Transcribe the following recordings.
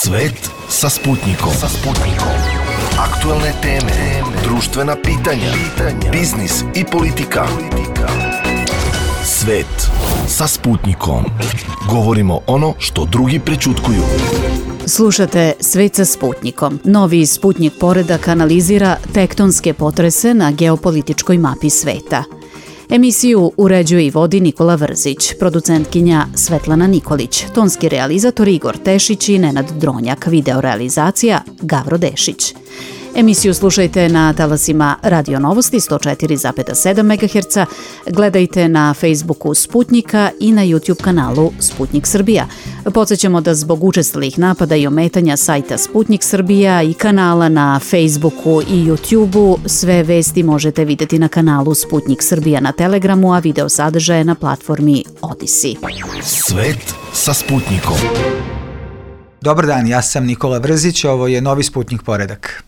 Svet sa Sputnikom. Aktuelne teme, društvena pitanja, biznis i politika. Svet sa Sputnikom. Govorimo ono što drugi prećutkuju. Slušate Svet sa Sputnikom. Novi Sputnik poredak analizira tektonske potrese na geopolitičkoj mapi sveta. Emisiju uređuje i vodi Nikola Vrzić, producentkinja Svetlana Nikolić, tonski realizator Igor Tešić i Nenad Dronjak, videorealizacija Gavro Dešić. Emisiju slušajte na talasima Radio Novosti 104,7 MHz, gledajte na Facebooku Sputnika i na YouTube kanalu Sputnik Srbija. Podsjećamo da zbog učestalih napada i ometanja sajta Sputnik Srbija i kanala na Facebooku i YouTubeu, sve vesti možete vidjeti na kanalu Sputnik Srbija na Telegramu, a video sadržaje na platformi Odisi. Svet sa Sputnikom. Dobar dan, ja sam Nikola Vrzić, ovo je novi Sputnik poredak.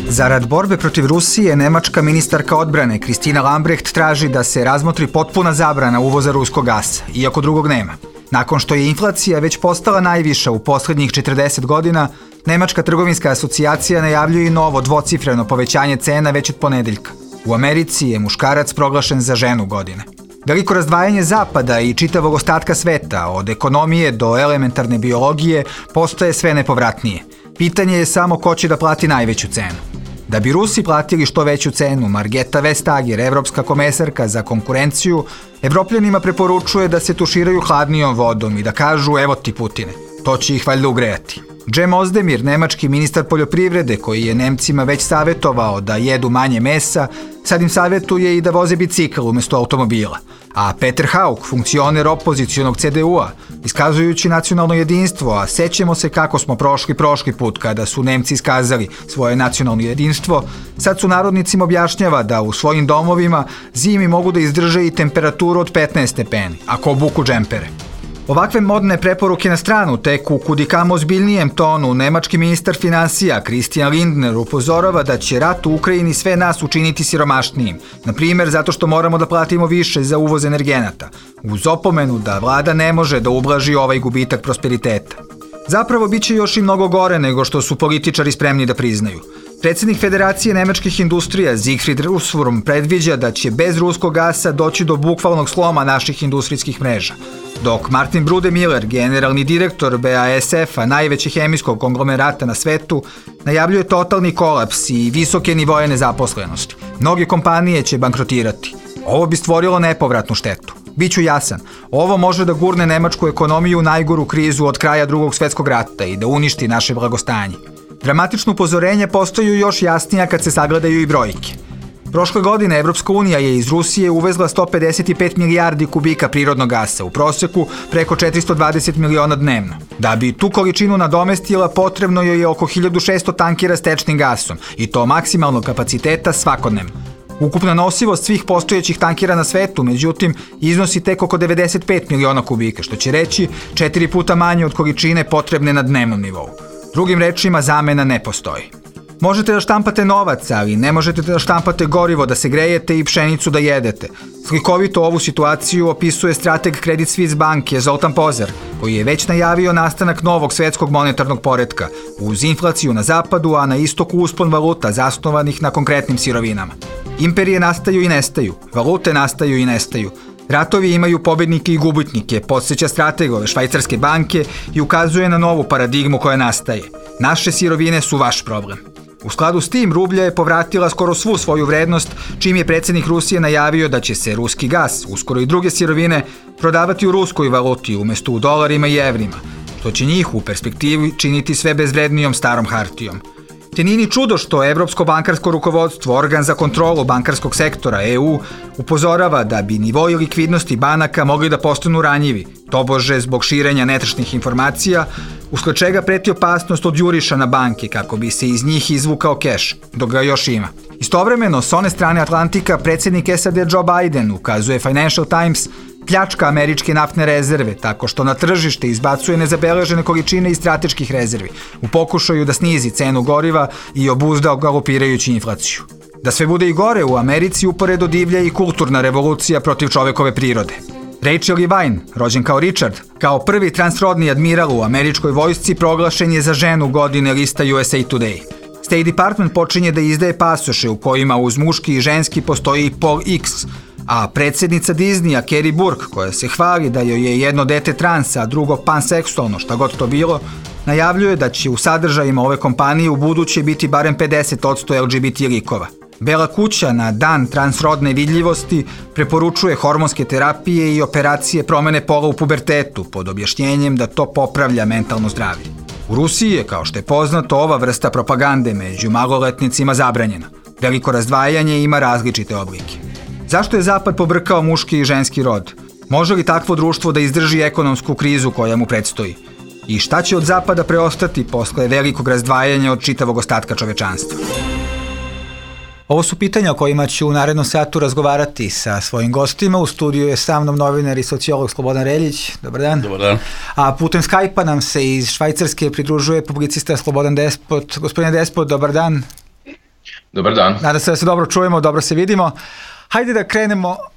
Zarad borbe protiv Rusije, nemačka ministarka odbrane Kristina Lambrecht traži da se razmotri potpuna zabrana uvoza ruskog gasa, iako drugog nema. Nakon što je inflacija već postala najviša u poslednjih 40 godina, Nemačka trgovinska asocijacija najavljuje i novo dvocifreno povećanje cena već od ponedeljka. U Americi je muškarac proglašen za ženu godine. Veliko razdvajanje zapada i čitavog ostatka sveta, od ekonomije do elementarne biologije, postaje sve nepovratnije. Pitanje je samo ko će da plati najveću cenu. Da bi Rusi platili što veću cenu, Margeta Vestager, evropska komesarka za konkurenciju, Evropljanima preporučuje da se tuširaju hladnijom vodom i da kažu evo ti Putine, to će ih valjda ugrejati. Cem Özdemir, nemački ministar poljoprivrede koji je Nemcima već savjetovao da jedu manje mesa, sad im savjetuje i da voze bicikl umjesto automobila. A Peter Haug, funkcioner opozicionog CDU-a, iskazujući nacionalno jedinstvo, a sećemo se kako smo prošli put kada su Nemci iskazali svoje nacionalno jedinstvo, sad su narodnicima objašnjava da u svojim domovima zimi mogu da izdrže i temperaturu od 15 stepeni, ako obuku džempere. Ovakve modne preporuke na stranu, tek u kudikamo ozbiljnijem tonu, nemački ministar finansija Christian Lindner upozorava da će rat u Ukrajini sve nas učiniti siromašnijim, na primjer zato što moramo da platimo više za uvoz energenata, uz opomenu da vlada ne može da ublaži ovaj gubitak prosperiteta. Zapravo bit će još i mnogo gore nego što su političari spremni da priznaju. Predsjednik Federacije nemačkih industrija Siegfried Russwurm predviđa da će bez ruskog gasa doći do bukvalnog sloma naših industrijskih mreža, dok Martin Bruder-Müller, generalni direktor BASF-a, najvećeg hemijskog konglomerata na svetu, najavljuje totalni kolaps i visoke nivoje nezaposlenosti. Mnoge kompanije će bankrotirati. Ovo bi stvorilo nepovratnu štetu. Biću jasan, ovo može da gurne nemačku ekonomiju u najgoru krizu od kraja Drugog svjetskog rata i da uništi naše blagostanje. Dramatično upozorenje postaju još jasnija kad se sagledaju i brojke. Prošle godine Evropska unija je iz Rusije uvezla 155 milijardi kubika prirodnog gasa, u proseku preko 420 miliona dnevno. Da bi tu količinu nadomestila, potrebno je oko 1600 tankera s tečnim gasom, i to maksimalnog kapaciteta svakodnevno. Ukupna nosivost svih postojećih tankera na svetu, međutim, iznosi tek oko 95 miliona kubika, što će reći 4 puta manje od količine potrebne na dnevnom nivou. Drugim rečima, zamena ne postoji. Možete da štampate novac, ali ne možete da štampate gorivo da se grejete i pšenicu da jedete. Slikovito ovu situaciju opisuje strateg Credit Suisse banke Zoltan Pozar, koji je već najavio nastanak novog svetskog monetarnog poretka, uz inflaciju na zapadu, a na istoku uspon valuta zasnovanih na konkretnim sirovinama. Imperije nastaju i nestaju, valute nastaju i nestaju. Ratovi imaju pobednike i gubitnike, podsjeća strateg ove švajcarske banke i ukazuje na novu paradigmu koja nastaje. Naše sirovine su vaš problem. U skladu s tim, rublja je povratila skoro svu svoju vrednost, čim je predsjednik Rusije najavio da će se ruski gas, uskoro i druge sirovine, prodavati u ruskoj valuti umjesto u dolarima i evrima, što će njih u perspektivi činiti sve bezvrednijom starom hartijom. Te nije ni čudo što Evropsko bankarsko rukovodstvo, organ za kontrolu bankarskog sektora EU, upozorava da bi nivoi likvidnosti banaka mogli da postanu ranjivi, tobože zbog širenja netačnih informacija, usled čega preti opasnost od juriša na banke kako bi se iz njih izvukao keš, dok ga još ima. Istovremeno, s one strane Atlantika, predsjednik SAD Joe Biden, ukazuje Financial Times, pljačka američke naftne rezerve tako što na tržište izbacuje nezabeležene količine iz strateških rezervi u pokušaju da snizi cenu goriva i obuzda galopirajuću inflaciju. Da sve bude i gore, u Americi uporedo divlja i kulturna revolucija protiv čovekove prirode. Rachel Levine, rođen kao Richard, kao prvi transrodni admiral u američkoj vojsci, proglašen je za ženu godine lista USA Today. State Department počinje da izdaje pasoše u kojima uz muški i ženski postoji i pol X, a predsjednica Disneya, Carrie Burke, koja se hvali da joj je jedno dete trans, a drugo panseksualno, šta god to bilo, najavljuje da će u sadržajima ove kompanije u buduće biti barem 50% LGBT likova. Bela kuća na dan transrodne vidljivosti preporučuje hormonske terapije i operacije promene pola u pubertetu pod objašnjenjem da to popravlja mentalno zdravlje. U Rusiji je, kao što je poznato, ova vrsta propagande među maloletnicima zabranjena. Veliko razdvajanje ima različite oblike. Zašto je Zapad pobrkao muški i ženski rod? Može li takvo društvo da izdrži ekonomsku krizu koja mu predstoji? I šta će od Zapada preostati posle velikog razdvajanja od čitavog ostatka čovečanstva? Ovo su pitanja o kojima ću u narednom satu razgovarati sa svojim gostima. U studiju je sa mnom novinar i sociolog Slobodan Reljić. Dobar dan. Dobar dan. A putem Skype-a nam se iz Švajcarske pridružuje publicista Slobodan Despot. Gospodine Despot, dobar dan. Dobar dan. Nadam se da se dobro čujemo, dobro se vidimo. Hajde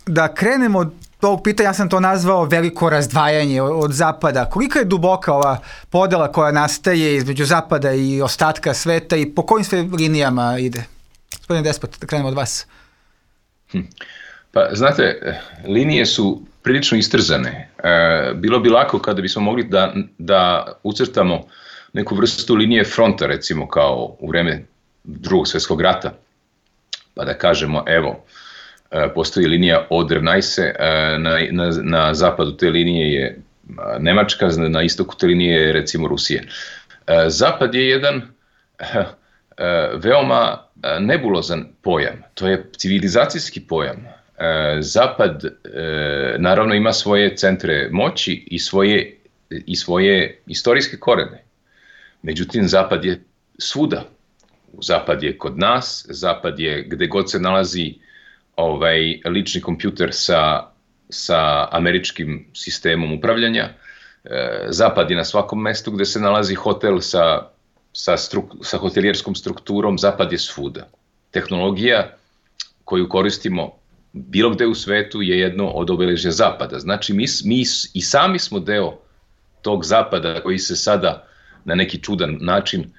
da krenemo od tog pitanja, ja sam to nazvao veliko razdvajanje od Zapada. Kolika je duboka ova podela koja nastaje između Zapada i ostatka sveta i po kojim sve linijama ide? Gospodine Despot, da krenemo od vas. Pa, znate, linije su prilično istrzane. Bilo bi lako kada bismo mogli da ucrtamo neku vrstu linije fronta, recimo kao u vreme Drugog svjetskog rata, pa da kažemo, evo, postoji linija Oder-Neisse, na zapadu te linije je Nemačka, na istoku te linije je recimo Rusija. Zapad je jedan veoma nebulozan pojam, to je civilizacijski pojam. Zapad naravno ima svoje centre moći i svoje istorijske korene. Međutim, Zapad je svuda. Zapad je kod nas, Zapad je gde god se nalazi lični kompjuter sa američkim sistemom upravljanja. Zapad je na svakom mestu gde se nalazi hotel sa hotelijerskom strukturom. Zapad je svuda. Tehnologija koju koristimo bilo gde u svetu je jedno od obeležja Zapada. Znači mi i sami smo deo tog Zapada koji se sada na neki čudan način,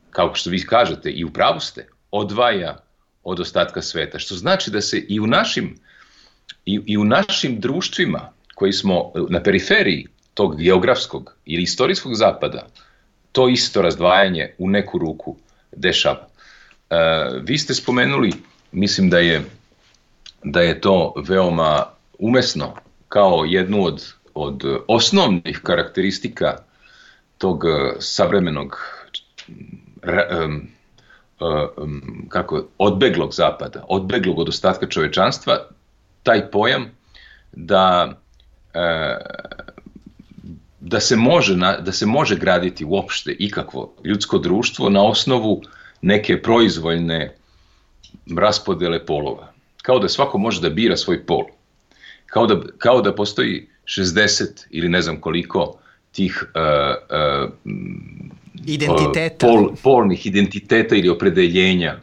kao što vi kažete, i u pravu ste, odvaja od ostatka sveta. Što znači da se i u našim društvima koji smo na periferiji tog geografskog ili istorijskog Zapada, to isto razdvajanje u neku ruku dešava. Vi ste spomenuli, mislim da je to veoma umesno, kao jednu od osnovnih karakteristika tog savremenog odbeglog Zapada, odbeglog od ostatka čovečanstva, taj pojam da se može graditi uopšte ikakvo ljudsko društvo na osnovu neke proizvoljne raspodele polova. Kao da svako može da bira svoj pol. Kao da postoji 60 ili ne znam koliko tih identiteta. Polnih identiteta ili opredeljenja.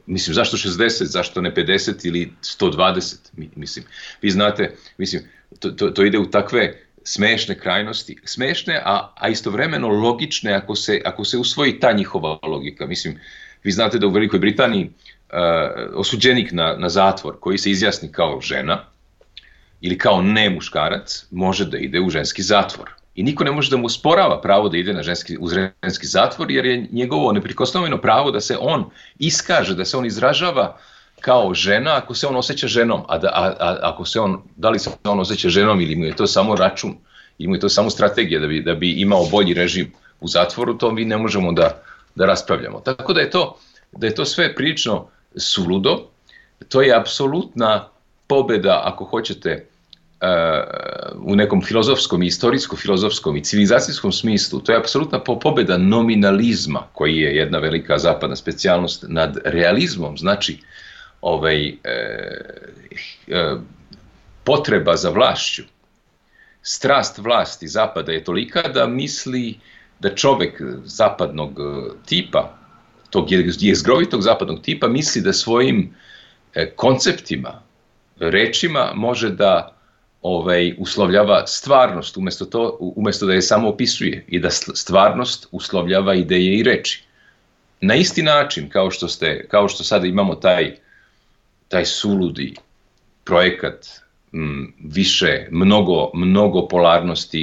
Mislim, zašto 60, zašto ne 50 ili 120? Mislim, vi znate, mislim, to ide u takve smešne krajnosti. Smešne, a istovremeno logične ako se usvoji ta njihova logika. Mislim, vi znate da u Velikoj Britaniji osuđenik na zatvor koji se izjasni kao žena ili kao ne muškarac može da ide u ženski zatvor. I niko ne može da mu osporava pravo da ide u ženski zatvor, jer je njegovo neprikosnoveno pravo da se on iskaže, da se on izražava kao žena ako se on osjeća ženom. Da li se on osjeća ženom ili mu je to samo račun, ili mu je to samo strategija da bi imao bolji režim u zatvoru, to mi ne možemo da raspravljamo. Tako da je to sve prilično suludo. To je apsolutna pobeda, ako hoćete, u nekom filozofskom, istorijsko-filozofskom i civilizacijskom smislu. To je apsolutna pobeda nominalizma, koji je jedna velika zapadna specijalnost, nad realizmom. Znači, potreba za vlašću, strast vlasti Zapada je tolika da misli da čovek zapadnog tipa, tog jezgrovitog zapadnog tipa, misli da svojim konceptima, rečima može da uslovljava stvarnost, umjesto da je samo opisuje, i da stvarnost uslovljava ideje i reči. Na isti način kao što sada imamo taj suludi projekat više mnogo polarnosti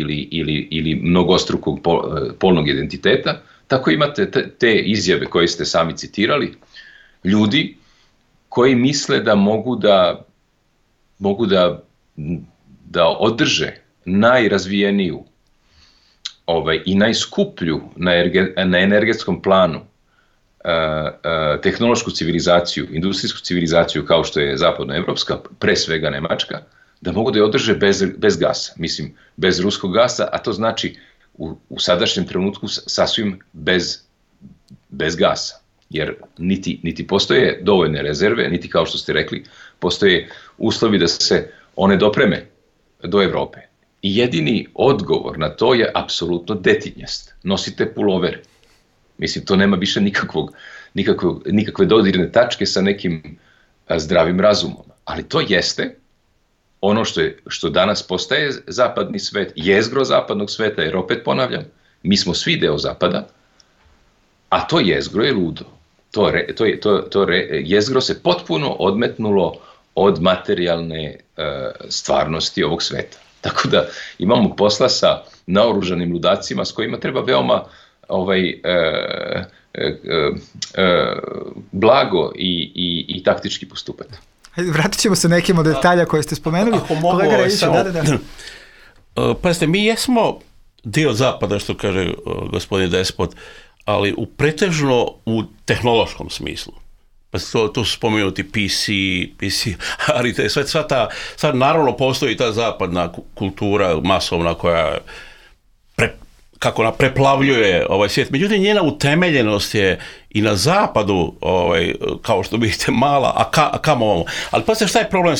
ili mnogostrukog polnog identiteta, tako imate te izjave koje ste sami citirali, ljudi koji misle da mogu da održe najrazvijeniju i najskuplju na energetskom planu tehnološku civilizaciju, industrijsku civilizaciju kao što je zapadnoevropska, pre svega Nemačka, da mogu da je održe bez gasa, mislim bez ruskog gasa, a to znači u sadašnjem trenutku sasvim bez gasa, jer niti postoje dovoljne rezerve, niti kao što ste rekli, postoje uslovi da se one dopreme do Evrope. I jedini odgovor na to je apsolutno detinjast. Nosite pulovere. Mislim, to nema više nikakve dodirne tačke sa nekim zdravim razumom. Ali to jeste ono što danas postaje zapadni svet, jezgro zapadnog sveta, jer opet ponavljam, mi smo svi deo zapada, a to jezgro je ludo. To jezgro se potpuno odmetnulo od materijalne stvarnosti ovog sveta. Tako da imamo posla sa naoružanim ludacima s kojima treba veoma blago i taktički postupati. Vratit ćemo se nekim od detalja koje ste spomenuli. Ako mogu, pazite, mi jesmo dio zapada, što kaže gospodin Despot, ali pretežno u tehnološkom smislu. Pa tu su spomenuti PC, ali sad naravno postoji ta zapadna kultura masovna koja kako ona preplavljuje ovaj svijet. Međutim, njena utemeljenost je i na zapadu, kao što vidite, mala, a kamo ovamo. Ali pa šta je problem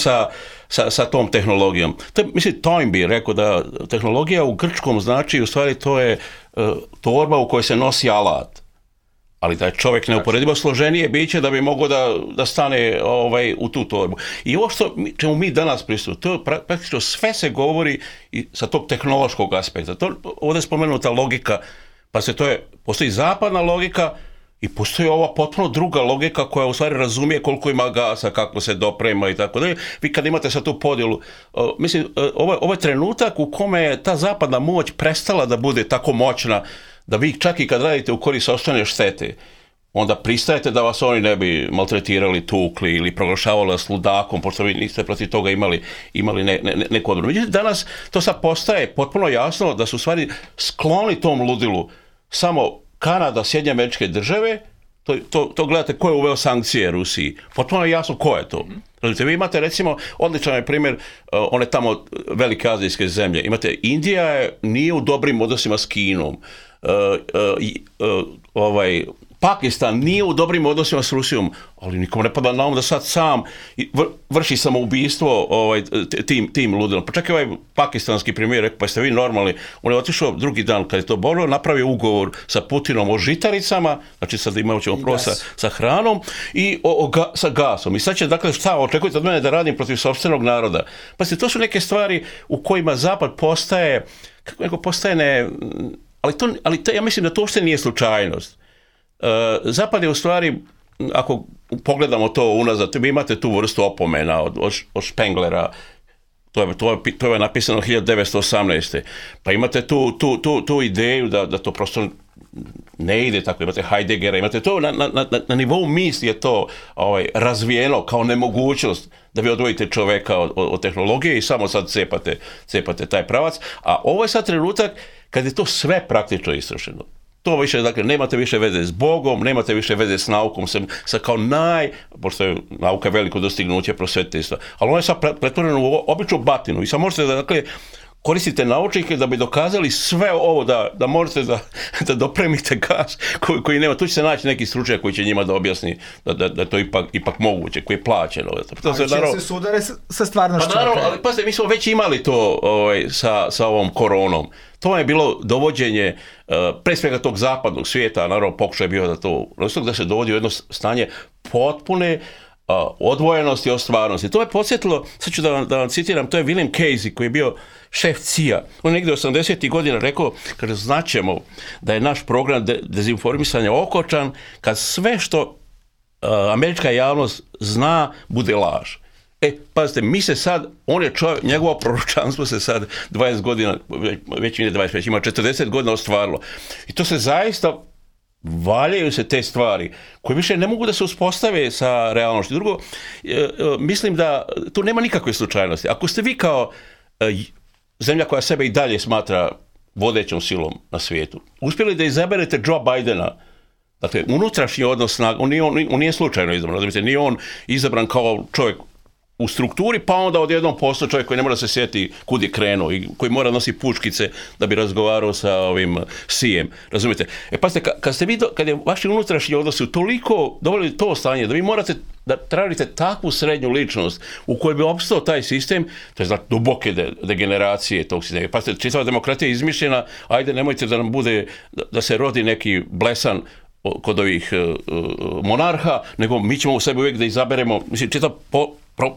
sa tom tehnologijom? Mislim, Toynbee rekao da tehnologija u grčkom znači, u stvari to je torba u kojoj se nosi alat. Ali da je čovjek neuporedivo složenije biće da bi mogao da stane u tu torbu. I ovo čemu mi danas pristupimo, to praktično sve se govori i sa tog tehnološkog aspekta. Ovdje je spomenuta logika, pa postoji zapadna logika i postoji ova potpuno druga logika koja u stvari razumije koliko ima gasa, kako se doprema i tako dalje. Vi kad imate sad tu podjelu, mislim, ovo je trenutak u kome je ta zapadna moć prestala da bude tako moćna da vi čak i kad radite u korist sopstvene štete, onda pristajete da vas oni ne bi maltretirali, tukli ili proglašavali vas ludakom, pošto vi niste protiv toga imali neku odbranu. Međutim, danas to sad postaje potpuno jasno da su u stvari skloni tom ludilu samo Kanada, Sjedinjene Američke Države, to gledate ko je uveo sankcije Rusiji. Potpuno je jasno ko je to. Vi imate recimo, odličan je primjer, one tamo velike azijske zemlje. Imate, Indija nije u dobrim odnosima s Kinom. Pakistan nije u dobrim odnosima s Rusijom, ali nikom ne pada na um da sad sam vrši samoubistvo tim ludilom. Pa čak i ovaj pakistanski premijer rekao, pa ste vi normalni, on je otišao drugi dan kad je to borilo, napravio ugovor sa Putinom o žitaricama, znači sad imat ćemo prvo sa hranom i sa gasom. I sad će, dakle, šta očekujete od mene da radim protiv sopstvenog naroda? Pa to su neke stvari u kojima Zapad postaje, kako neko postaje ali ja mislim da to uopšte nije slučajnost. Zapad je u stvari, ako pogledamo to unazad, vi imate tu vrstu opomena od Spenglera, to je napisano 1918. Pa imate tu ideju da to prosto ne ide tako, imate Heideggera, imate to na nivou misli je to razvijeno kao nemogućnost da vi odvojite čoveka od tehnologije i samo sad cepate taj pravac, a ovo je sad trenutak kad je to sve praktično istrošeno. To više, dakle, nemate više veze s Bogom, nemate više veze s naukom, sa kao pošto je nauka veliko dostignuće prosvetiteljstva, ali ono je sad pretvoreno u običnu batinu i sad možete dakle, koristite naučnike da bi dokazali sve ovo, da možete da dopremite gas koji nema. Tu će se naći neki stručnjak koji će njima da objasni da je to ipak moguće, koji je plaćeno. Ali će se sudare sa stvarnošću. Pa naravno, ali pazite, mi smo već imali to sa ovom koronom. To je bilo dovođenje pre svega tog zapadnog svijeta, naravno pokušaj je bio da se dovodi u jedno stanje potpune odvojenosti od stvarnosti. To je podsjetilo, sad ću da vam citiram, to je William Casey koji je bio šef CIA. On je negdje 80. godina rekao, kaže, znaćemo da je naš program dezinformisanja okočan kad sve što američka javnost zna bude laž. Pazite, mi se sad, on je čovjek, njegovo proročanstvo se sad 20 godina, već nije 25, ima 40 godina ostvarilo. I to se zaista valjaju se te stvari koje više ne mogu da se uspostave sa realnošću. Drugo, mislim da tu nema nikakve slučajnosti. Ako ste vi kao zemlja koja sebe i dalje smatra vodećom silom na svijetu, uspjeli da izaberete Joe Bidena, dakle, unutrašnji odnos snaga, on nije slučajno izabran, nije on izabran kao čovjek u strukturi, pa onda odjednom postao čovjek koji ne mora se sjetiti kud je krenuo i koji mora nositi puškice da bi razgovarao sa ovim Sijem. Razumijete? Pazite, kad je vaši unutrašnji odnosi toliko doveli to stanje da vi morate da tražite takvu srednju ličnost u kojoj bi opstao taj sistem, to je znači duboke degeneracije tog sistema. Pazite, čitava demokratija je izmišljena, ajde nemojte da nam bude, da se rodi neki blesan kod ovih monarha, nego mi ćemo u sebi uvijek da izaberemo, mislim, čitav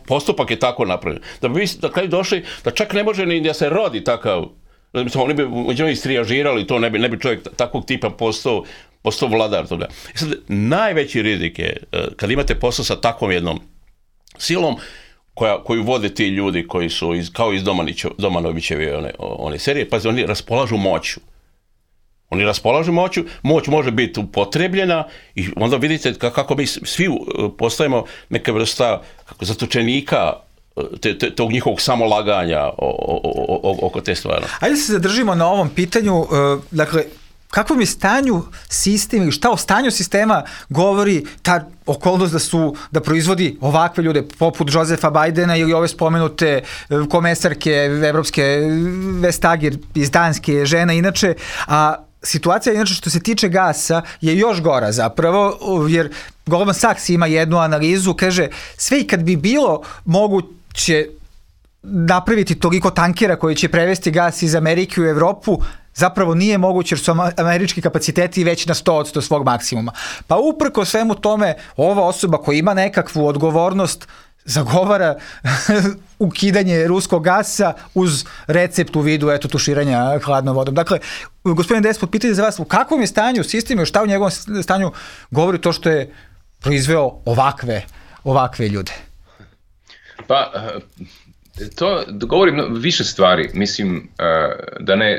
postupak je tako napravljen. Da bi vi na kraju došli, da čak ne može ni da se rodi takav, oni bi među istrijažirali to, ne bi čovjek takvog tipa postao vladar toga. Sad, najveći rizik je kad imate posao sa takvom jednom silom koju vode ti ljudi koji su kao iz Domanovićeve one serije, pa oni raspolažu moću. Oni raspolažu moću, moć može biti upotrebljena i onda vidite kako mi svi postajemo neka vrsta zatočenika tog njihovog samolaganja oko te stvari. Ajde se zadržimo na ovom pitanju, dakle, kakvom je stanju sistem ili šta o stanju sistema govori ta okolnost da proizvodi ovakve ljude poput Josefa Bidena ili ove spomenute komesarke evropske Vestager iz Danske, žena inače, a situacija inače što se tiče gasa je još gora zapravo, jer Goldman Sachs ima jednu analizu, kaže sve i kad bi bilo moguće napraviti toliko tankera koji će prevesti gas iz Amerike u Evropu, zapravo nije moguće jer su američki kapaciteti već na 100% svog maksimuma. Pa uprko svemu tome, ova osoba koja ima nekakvu odgovornost zagovara ukidanje ruskog gasa uz recept u vidu tuširanja hladnom vodom. Dakle, gospodin Despot, pitanje za vas, u kakvom je stanju sistemu, šta u njegovom stanju govori to što je proizveo ovakve ljude? Pa, to govorim više stvari. Mislim,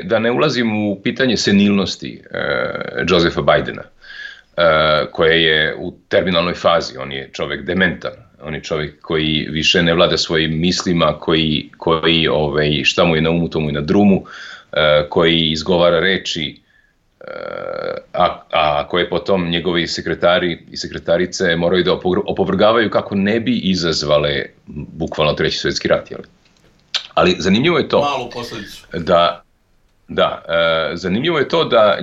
da ne ulazim u pitanje senilnosti Josefa Bidena, koje je u terminalnoj fazi. On je čovjek dementan. On je čovjek koji više ne vlada svojim mislima, koji šta mu je na umu, to mu je na drumu, koji izgovara reči, a koje potom njegovi sekretari i sekretarice moraju da opovrgavaju kako ne bi izazvale bukvalno Treći svjetski rat. Ali zanimljivo je to malu posljedicu. Zanimljivo je to da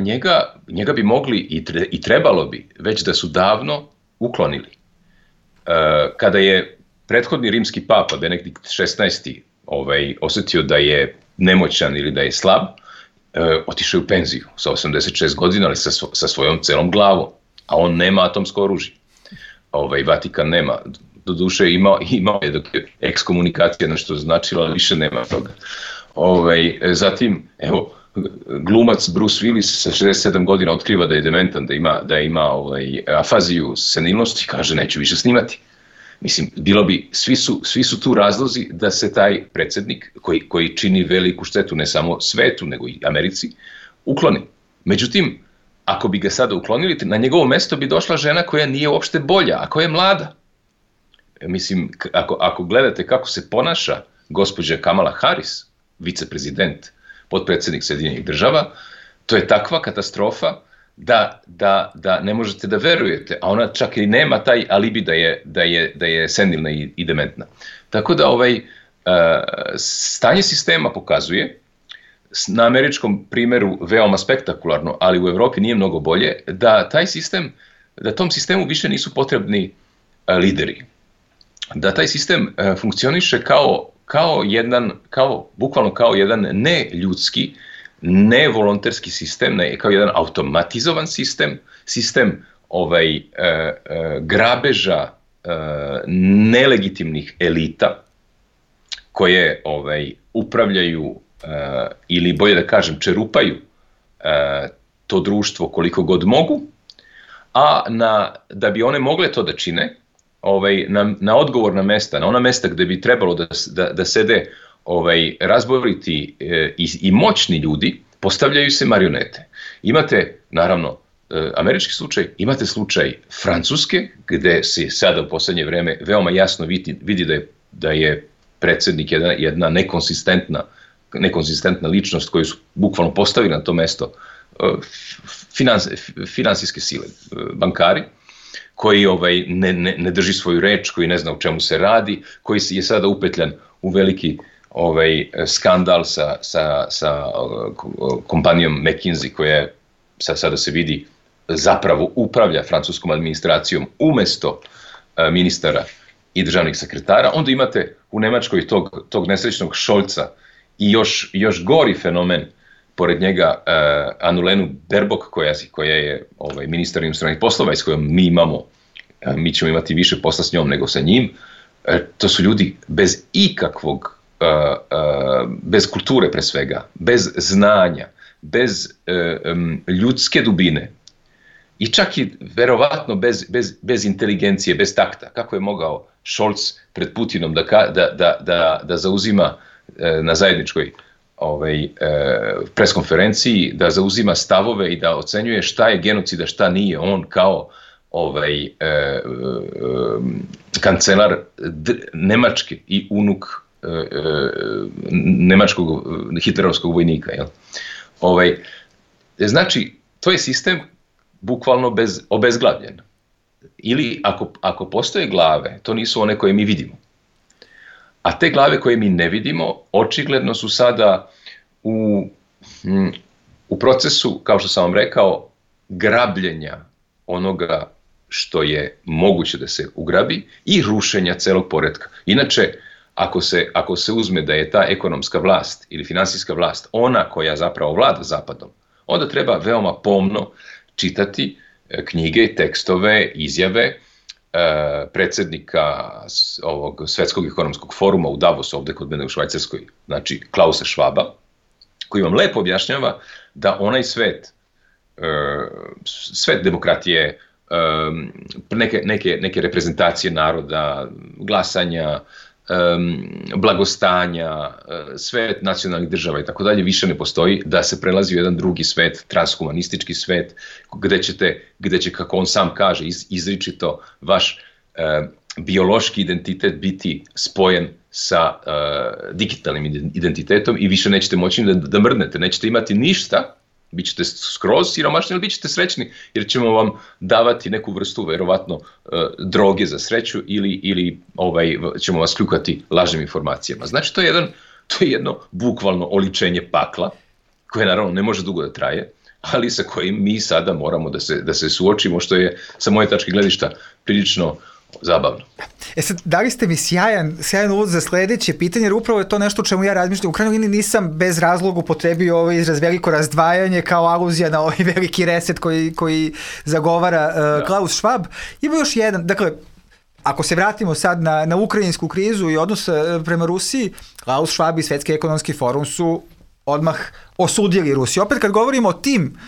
njega bi mogli i trebalo bi već da su davno uklonili. Kada je prethodni rimski papa Benedikt XVI osjetio da je nemoćan ili da je slab, otišao u penziju sa 86 godina, ali sa svojom celom glavom, a on nema atomsko oružje. Vatikan nema. Doduše imao je dok je ekskomunikacija nešto značila, ali više nema toga. Zatim, evo, glumac Bruce Willis sa 67 godina otkriva da je dementan, da ima afaziju senilnosti i kaže neću više snimati. Mislim, bilo bi, svi su tu razlozi da se taj predsjednik, koji čini veliku štetu ne samo svetu, nego i Americi, ukloni. Međutim, ako bi ga sada uklonili, na njegovo mjesto bi došla žena koja nije uopšte bolja, a koja je mlada. Mislim, ako gledate kako se ponaša gospođa Kamala Harris, viceprezident, potpredsjednik Sjedinjenih Država, to je takva katastrofa da ne možete da verujete, a ona čak i nema taj alibi da je senilna i dementna. Tako da stanje sistema pokazuje, na američkom primjeru veoma spektakularno, ali u Evropi nije mnogo bolje, da tom sistemu više nisu potrebni lideri. Da taj sistem funkcioniše bukvalno kao jedan neljudski, nevolonterski sistem, kao jedan automatizovan sistem grabeža nelegitimnih elita koje upravljaju ili bolje da kažem čerupaju to društvo koliko god mogu, a da bi one mogle to da čine, na odgovorna mesta, na ona mesta gde bi trebalo da sede razboriti i moćni ljudi, postavljaju se marionete. Imate, naravno, američki slučaj, imate slučaj Francuske, gde se sada u poslednje vreme veoma jasno vidi da je predsjednik jedna nekonsistentna ličnost koju su bukvalno postavili na to mesto finansijske sile, bankari, koji ne drži svoju reč, koji ne zna o čemu se radi, koji je sada upetljan u veliki skandal sa kompanijom McKinsey, koja sada se vidi zapravo upravlja francuskom administracijom umesto ministara i državnih sekretara. Onda imate u Nemačkoj tog nesrećnog Scholza i još gori fenomen pored njega Annalenu Baerbock, koja je ministar inostranih poslova i s kojom mi ćemo imati više posla s njom nego sa njim. To su ljudi bez ikakvog, bez kulture pre svega, bez znanja, bez ljudske dubine i čak i verovatno bez inteligencije, bez takta. Kako je mogao Scholz pred Putinom da zauzima na zajedničkoj preskonferenciji, da zauzima stavove i da ocenjuje šta je genocid, a šta nije. On kao kancelar Nemačke i unuk nemačkog hitlerovskog vojnika. Jel? Znači, to je sistem bukvalno obezglavljen. Ili ako postoje glave, to nisu one koje mi vidimo. A te glave koje mi ne vidimo, očigledno su sada u procesu, kao što sam vam rekao, grabljenja onoga što je moguće da se ugrabi i rušenja celog poretka. Inače, ako se uzme da je ta ekonomska vlast ili finansijska vlast ona koja zapravo vlada Zapadom, onda treba veoma pomno čitati knjige, tekstove, izjave predsjednika ovog Svetskog ekonomskog foruma u Davosu, ovde kod mene u Švajcarskoj, znači Klausa Schwaba, koji vam lepo objašnjava da onaj svet demokratije, neke reprezentacije naroda, glasanja, blagostanja, svet nacionalnih država i tako dalje više ne postoji, da se prelazi u jedan drugi svet, transhumanistički svet, gde će, kako on sam kaže, izričito vaš biološki identitet biti spojen sa digitalnim identitetom i više nećete moći da mrdnete, nećete imati ništa, bit ćete skroz siromašni, ali bit ćete srećni jer ćemo vam davati neku vrstu, verovatno, droge za sreću ili ćemo vas kljukati lažnim informacijama. Znači, to je jedno bukvalno oličenje pakla, koje naravno ne može dugo da traje, ali sa kojim mi sada moramo da se suočimo, što je sa moje tačke gledišta prilično zabavno. Sad, dali ste mi sjajan uvod za sledeće pitanje, jer upravo je to nešto o čemu ja razmišljam. U krajnjoj liniji nisam bez razloga upotrebio ovaj izraz veliko razdvajanje kao aluzija na ovaj veliki reset koji zagovara Klaus Schwab. Ima još jedan, dakle, ako se vratimo sad na ukrajinsku krizu i odnos prema Rusiji, Klaus Schwab i Svetski ekonomski forum su odmah osudili Rusiju. Opet kad govorimo o tim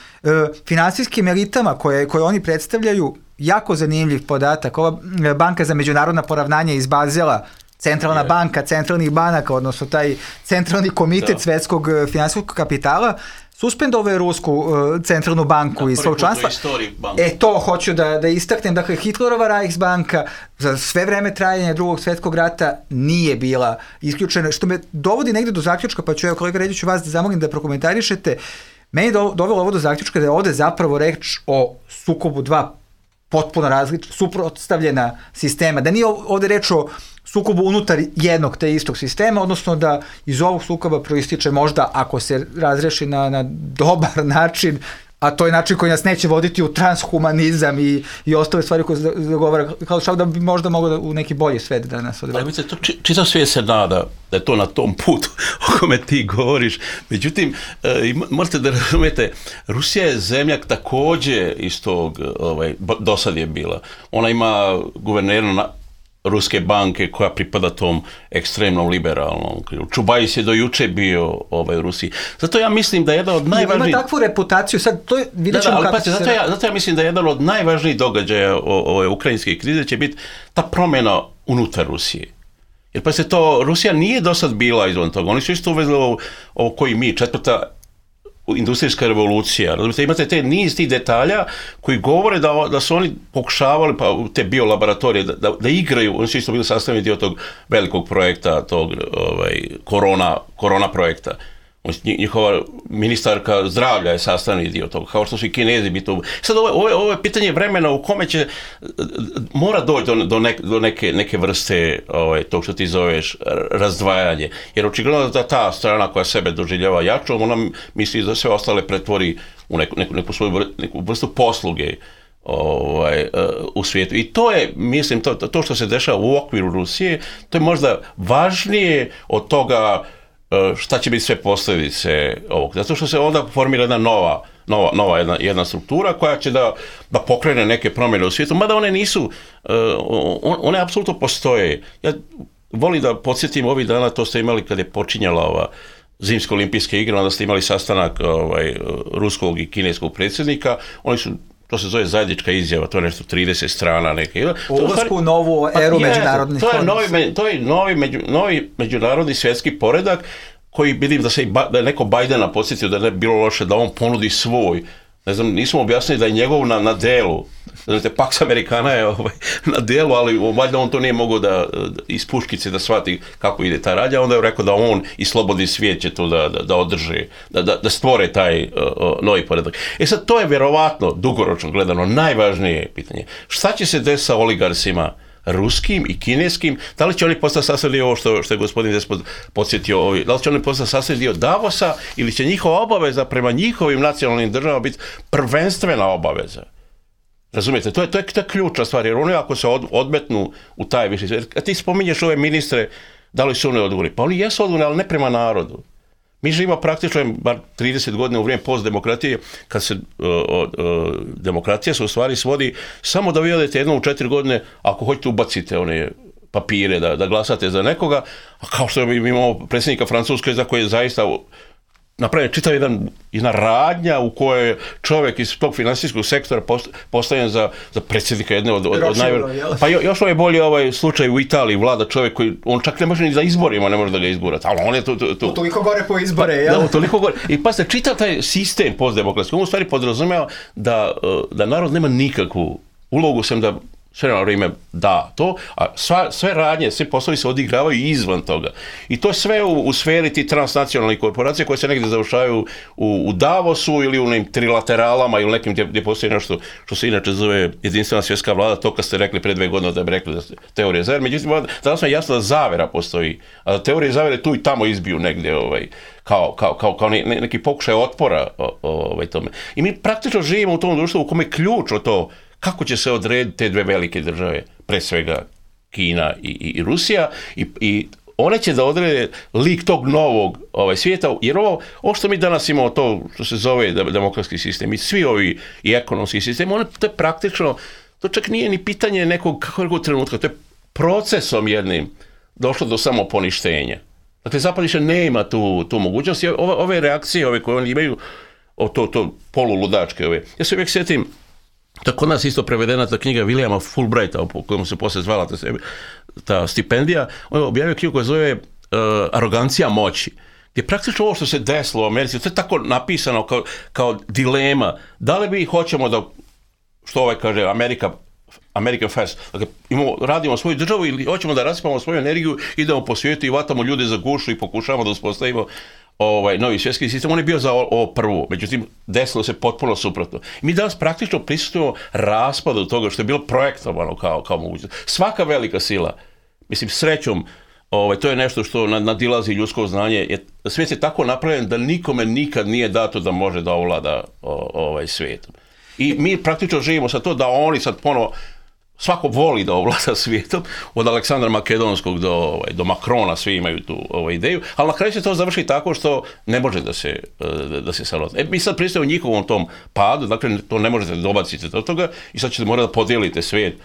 finansijskim elitama koje oni predstavljaju, jako zanimljiv podatak. Ova banka za međunarodna poravnanja iz Bazela, centralna banka centralnih banaka, odnosno taj centralni komitet svetskog finansijskog kapitala, suspendovao je Rusku centralnu banku iz svog članstva. To hoću da istaknem. Dakle, Hitlerova Reichsbanka za sve vreme trajanja Drugog svjetskog rata nije bila isključena, što me dovodi negde do zaključka, pa ću, kolega Ređiću, vas da zamolim da prokomentarišete. Meni je dovelo ovo do zaključka da je ovde zapravo reč o sukobu dva potpuno suprotstavljena sistema, da nije ovde reč o sukobu unutar jednog te istog sistema, odnosno da iz ovog sukoba proističe možda, ako se razreši na dobar način, a to je način koji nas neće voditi u transhumanizam i ostale stvari koje zagovara Klaus Schwab, da bi možda moglo u neki bolji svet da nas odvede. Ali mislim, čitav svijet se nada da je to na tom putu o kome ti govoriš. Međutim, morate da razumete, Rusija je zemlja također iz tog, do sad je bila. Ona ima guvernera ruske banke koja pripada tom ekstremnom liberalnom krilu. Čubajs je do juče bio u Rusiji. Zato ja mislim da je jedan od najvažnijih... Ima takvu reputaciju, sad to je, vidjet ćemo kako se... Zato ja mislim da je jedan od najvažnijih događaja ove ukrajinske krize će biti ta promjena unutar Rusije. Jer pa se to, Rusija nije do sad bila izvan toga. Oni su isto uvezli ovo koji mi, četvrta industrijska revolucija. Razumite, imate te niz tih detalja koji govore da su oni pokušavali, pa te biolaboratorije, da igraju, oni su isto bili sastavni dio tog velikog projekta, tog korona projekta. Njihova ministarka zdravlja je sastavni dio toga, kao što su i Kinezi bi to... Sad ovo je pitanje vremena u kome će mora doći do neke vrste tog što ti zoveš razdvajanje. Jer očigledno da ta strana koja sebe doživljava jačom, ona misli da sve ostale pretvori u neku vrstu posluge u svijetu. I to je, mislim, to što se dešava u okviru Rusije, to je možda važnije od toga šta će biti sve posljedice ovog. Zato što se onda formira jedna nova jedna struktura koja će da pokrene neke promjene u svijetu, mada one nisu, one apsolutno postoje. Ja volim da podsjetim ovih dana, to ste imali kad je počinjala ova zimske olimpijske igre, onda ste imali sastanak ruskog i kineskog predsjednika, oni su, to se zove zajednička izjava, to je nešto 30 strana neke. U ulasku u novu eru međunarodnih odnosa. To je novi međunarodni svjetski poredak koji vidim da je neko Bajdena podsjetio da ne bi bilo loše da on ponudi svoj. Ne znam, nismo objasnili da je njegov na delu. Znate, Pax Americana je na delu, ali valjda on to nije mogao da iz puškice da shvati kako ide ta radnja, onda je rekao da on i slobodni svijet će to da održe, da stvore taj novi poredak. Sad, to je vjerovatno, dugoročno gledano, najvažnije pitanje. Šta će se desiti sa oligarsima ruskim i kineskim? Da li će oni postati sastavni ovo što je gospodin Despot podsjetio, da li će oni postati sastavni dio Davosa ili će njihova obaveza prema njihovim nacionalnim državama biti prvenstvena obaveza? Razumijete, to je ključna stvar, jer oni ako se odmetnu u taj viši svijet, a ti spominješ ove ministre, da li su oni odgovorni? Pa oni jesu odgovorni, ali ne prema narodu. Mi živimo praktično bar 30 godina u vrijeme postdemokratije, kad se demokratija se u stvari svodi samo da vi odete jednom u 4 godine, ako hoćete ubacite one papire da glasate za nekoga, a kao što mi imamo predsjednika Francuske za koje je zaista napravljen čitav jedna radnja u kojoj je čovjek iz tog financijskog sektora postavljen za predsjednika jedne od najvećih. Pa još je bolje slučaj u Italiji, vlada čovjek koji, on čak ne može ni za izborima, ne može da ga izgurati, ali on je tu. Toliko gore po izbore, jel? Da, toliko gore. I pa se čitav taj sistem postdemokratski, on u stvari podrazumijeva da narod nema nikakvu ulogu, sem da sve na vrijeme da to, a sve radnje, sve poslovi se odigravaju izvan toga. I to je sve u sferi ti transnacionalnih korporacija koje se negdje završavaju u Davosu ili u nekim trilateralama ili nekim gdje postoji nešto što se inače zove jedinstvena svjetska vlada, to kad ste rekli pre 2 godine da bi rekli da ste teorije zavere. Međutim, danas je jasno da zavera postoji, a da teorije zavere tu i tamo izbiju negdje kao neki pokušaj otpora tome. I mi praktično živimo u tom društvu u kome je ključno to kako će se odrediti te dve velike države, pre svega Kina i Rusija, i one će da odrede lik tog novog svijeta, jer ovo što mi danas imamo, to što se zove demokratski sistem, i svi ovi i ekonomski sistem, to je praktično, to čak nije ni pitanje nekog trenutka, to je procesom jednim došlo do samoponištenja. Dakle, Zapad više nema tu mogućnost, i ove reakcije koje oni imaju, to poluludačke ja se uvijek sjetim, to je kod nas isto prevedena ta knjiga Williama Fulbrighta, po kojom se poslije zvala ta stipendija. On je objavio knjigu koja zove Arogancija moći, gdje praktično ovo što se desilo u Americi, to je tako napisano kao dilema. Da li mi hoćemo da, što kaže, American First, dakle, radimo svoju državu ili hoćemo da raspamo svoju energiju, idemo po svijetu i vatamo ljude za gušu i pokušavamo da uspostavimo novi svjetski sistem. On je bio za ovo prvo, međutim desilo se potpuno suprotno. Mi danas praktično prisutujemo raspadu toga što je bilo projektovano kao mogućnost. Svaka velika sila, mislim srećom, to je nešto što nadilazi ljudsko znanje. Svijet je tako napravljen da nikome nikad nije dato da može da ovlada svijetom. I mi praktično živimo sa to da oni sad ponovo, svako voli da ovlada svijetom, od Aleksandra Makedonskog do Makrona, svi imaju tu ideju, ali na kraju se to završi tako što ne može da se savlada. Mi sad pristajemo u njihovom tom padu, dakle to ne možete dobaciti do toga i sad ćete morati da podijelite svijet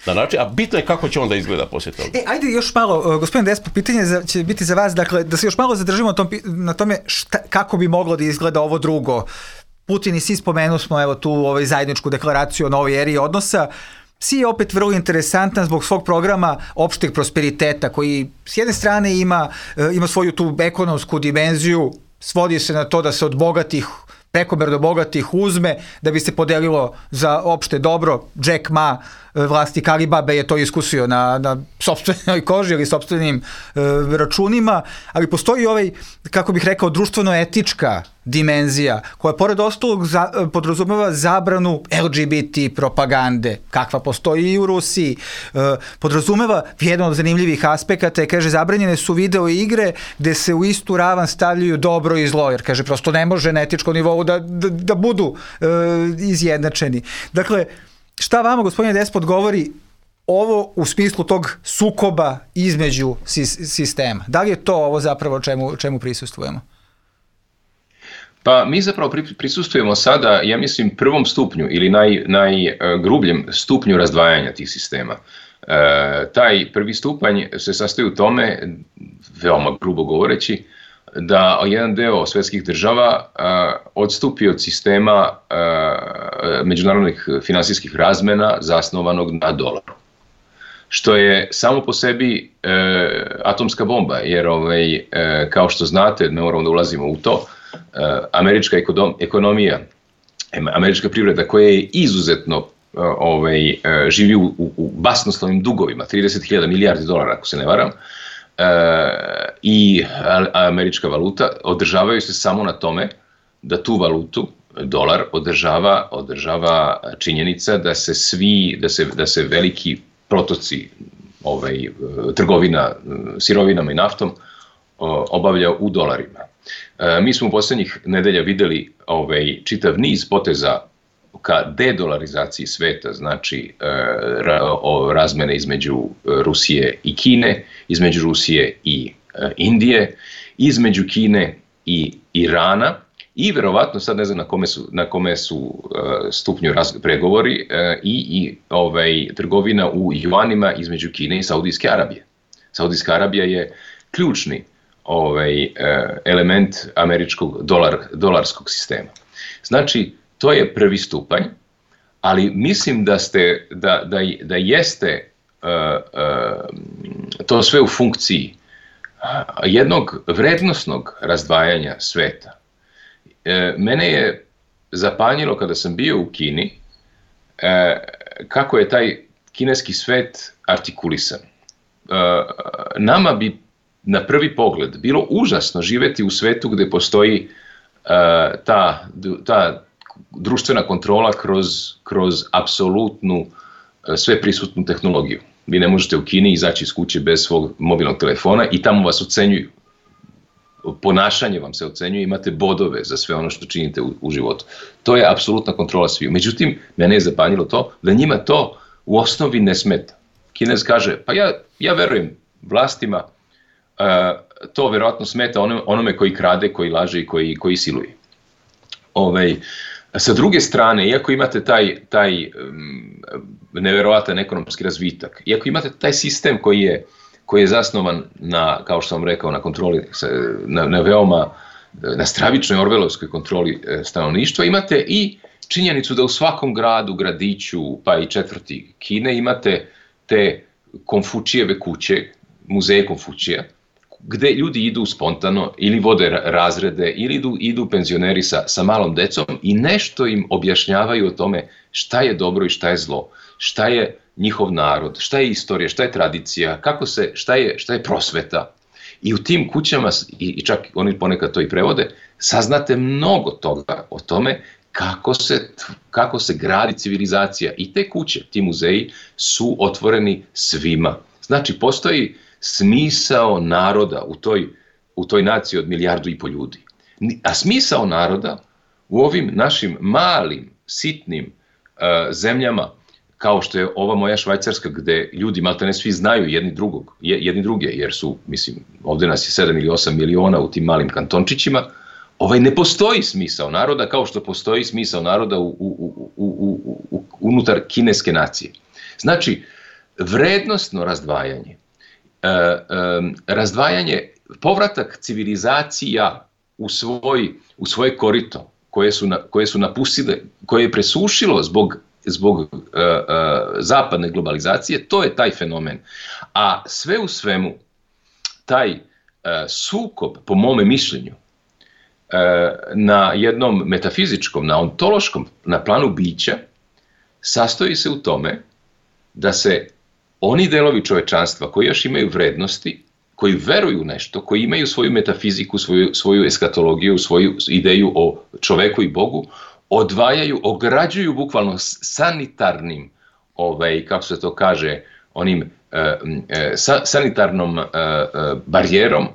na način, a bitno je kako će onda izgleda poslije toga. Ajde još malo, gospodin Despot, pitanje će biti za vas, dakle, da se još malo zadržimo na tome kako bi moglo da izgleda ovo drugo. Putin i svi spomenu smo evo tu zajedničku deklaraciju o novoj eri odnosa. Si je opet vrlo interesantan zbog svog programa opšteg prosperiteta koji s jedne strane ima svoju tu ekonomsku dimenziju, svodi se na to da se od bogatih, prekomerno bogatih uzme da bi se podelilo za opšte dobro. Jack Ma, vlasnik Alibabe, je to iskusio na sopstvenoj koži ili sopstvenim računima, ali postoji kako bih rekao, društveno-etička dimenzija koja pored ostalog podrazumeva zabranu LGBT propagande, kakva postoji i u Rusiji. Podrazumeva jedan od zanimljivih aspekata je, kaže, zabranjene su video igre gde se u istu ravan stavljaju dobro i zlo, jer, kaže, prosto ne može na etičkom nivou da budu izjednačeni. Dakle, šta vama, gospodine Despot, govori ovo u smislu tog sukoba između sistema? Da li je to ovo zapravo čemu prisustvujemo? Pa mi zapravo prisustujemo sada, ja mislim, prvom stupnju ili najgrubljem stupnju razdvajanja tih sistema. Taj prvi stupanj se sastoji u tome, veoma grubo govoreći, da jedan deo svetskih država odstupi od sistema međunarodnih finansijskih razmena zasnovanog na dolaru. Što je samo po sebi atomska bomba, jer kao što znate, ne moramo da ulazimo u to, američka ekonomija, američka privreda koja je izuzetno živi u basnoslovnim dugovima, 30.000 milijardi dolara ako se ne varam, i američka valuta održavaju se samo na tome da tu valutu, dolar, održava činjenica da se veliki protoci trgovina sirovinama i naftom obavlja u dolarima. Mi smo u posljednjih nedelja videli čitav niz poteza ka dedolarizaciji sveta, znači razmene između Rusije i Kine, između Rusije i Indije, između Kine i Irana i verovatno, sad ne znam na kome su stupnju pregovori, i trgovina u juanima između Kine i Saudijske Arabije. Saudijska Arabija je ključni element američkog dolarskog sistema. Znači, to je prvi stupanj, ali mislim da jeste to sve u funkciji jednog vrednosnog razdvajanja sveta. Mene je zapanjilo kada sam bio u Kini kako je taj kineski svet artikulisan. Nama bi na prvi pogled bilo užasno živeti u svetu gde postoji ta društvena kontrola kroz apsolutnu sveprisutnu tehnologiju. Vi ne možete u Kini izaći iz kuće bez svog mobilnog telefona i tamo vas ocenjuju. Ponašanje vam se ocenjuje, imate bodove za sve ono što činite u životu. To je apsolutna kontrola sviju. Međutim, mene je zapanjilo to da njima to u osnovi ne smeta. Kinez kaže, pa ja verujem vlastima, to verovatno smeta onome koji krade, koji laže i koji siluje. Sa druge strane, iako imate taj neverovatan ekonomski razvitak, iako imate taj sistem koji je zasnovan na, kao što sam rekao, na kontroli, na stravičnoj orvelovskoj kontroli stanovništva, imate i činjenicu da u svakom gradu, gradiću, pa i četvrti Kine imate te Konfučijeve kuće, muzeje Konfučija, gde ljudi idu spontano ili vode razrede ili idu penzioneri sa malom decom i nešto im objašnjavaju o tome šta je dobro i šta je zlo, šta je njihov narod, šta je istorija, šta je tradicija, šta je prosveta. I u tim kućama, i čak oni ponekad to i prevode, saznate mnogo toga o tome kako se gradi civilizacija. I te kuće, ti muzeji su otvoreni svima. Znači, postoji smisao naroda u toj naciji od 1,5 milijardu ljudi. A smisao naroda u ovim našim malim, sitnim zemljama, kao što je ova moja Švajcarska, gde ljudi maltene svi znaju jedni druge, jer su, mislim, ovde nas je 7 ili 8 miliona u tim malim kantončićima, ne postoji smisao naroda kao što postoji smisao naroda unutar kineske nacije. Znači, vrednostno razdvajanje. Razdvajanje, povratak civilizacija u svoje korito, koje su napustile, koje je presušilo zbog zapadne globalizacije, to je taj fenomen. A sve u svemu, taj sukob, po mome mišljenju, na jednom metafizičkom, na ontološkom, na planu bića, sastoji se u tome da se oni delovi čovečanstva koji još imaju vrednosti, koji veruju nešto, koji imaju svoju metafiziku, svoju eskatologiju, svoju ideju o čoveku i Bogu, odvajaju, ograđuju bukvalno sanitarnim, kako se to kaže, onim sanitarnom barijerom